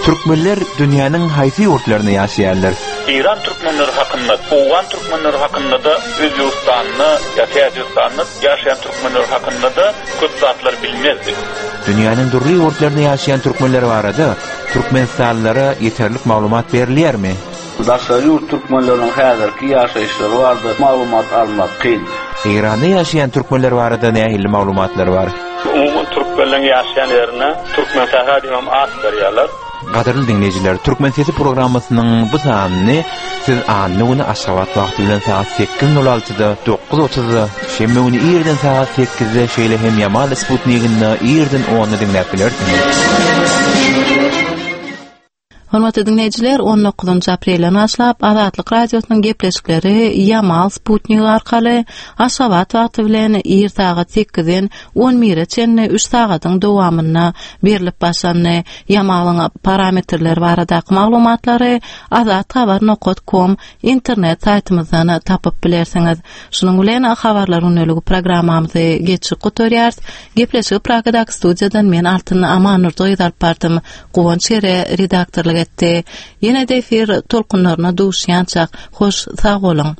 Türkmenler dünýäniň haýsy ýurtlarynda ýaşaýarlar? Eýran türkmenleri hakynda, owgan türkmenleri hakynda-da, Özbegistanda ýa Täjigistanda ýaşaýan türkmenler hakynda-da köp zatlar bilmezdik. Dünýäniň dürli ýurtlarynda ýaşaýan türkmenler barada türkmenistanlylara ýeterlik maglumat berilýärmi? Daşary ýurt türkmenleriniň häzirki ýaşaýyşlary barada maglumat almak kyn. Eýranda ýaşaýan türkmenler barada nähili maglumatlar bar? Umuman türkmenleň ýaşaýan ýerine Türkmensähra diýip hem at berýärler. Gadyrly diňleýjiler, Türkmen sesi programmasynyň bu sanyny siz anna güni Aşgabat wagty bilen sagat 8:06-da, 9:30-da, şenbe güni irden sagat 8-de, şeýle hem Ýamal Sputniginde irden 10-da diňläp bilersiňiz. Hormatly diňleýjiler, 19-njy aprelden başlap Azatlyk Radiosynyň gepleşikleri Ýamal sputnigi arkaly Aşgabat wagty bilen ir sagat 8-den 11-e çenli 3 sagadyň dowamynda berlip başlandy. Ýamalyň parametrleri baradaky maglumatlary azathabar nokat kom internet saýtymyzdan tapyp bilersiňiz. Şunuň bilen Habarlar gündeligi programmamyzy geçip gutarýarys. Gepleşigi Pragadaky studiýadan men Altyn Amannurdy gyz alyp bardym. Guwanç Gere redaktorlyk etdi. Ýene-de efir tolkunlaryna duşýançak, hoş sag boluň!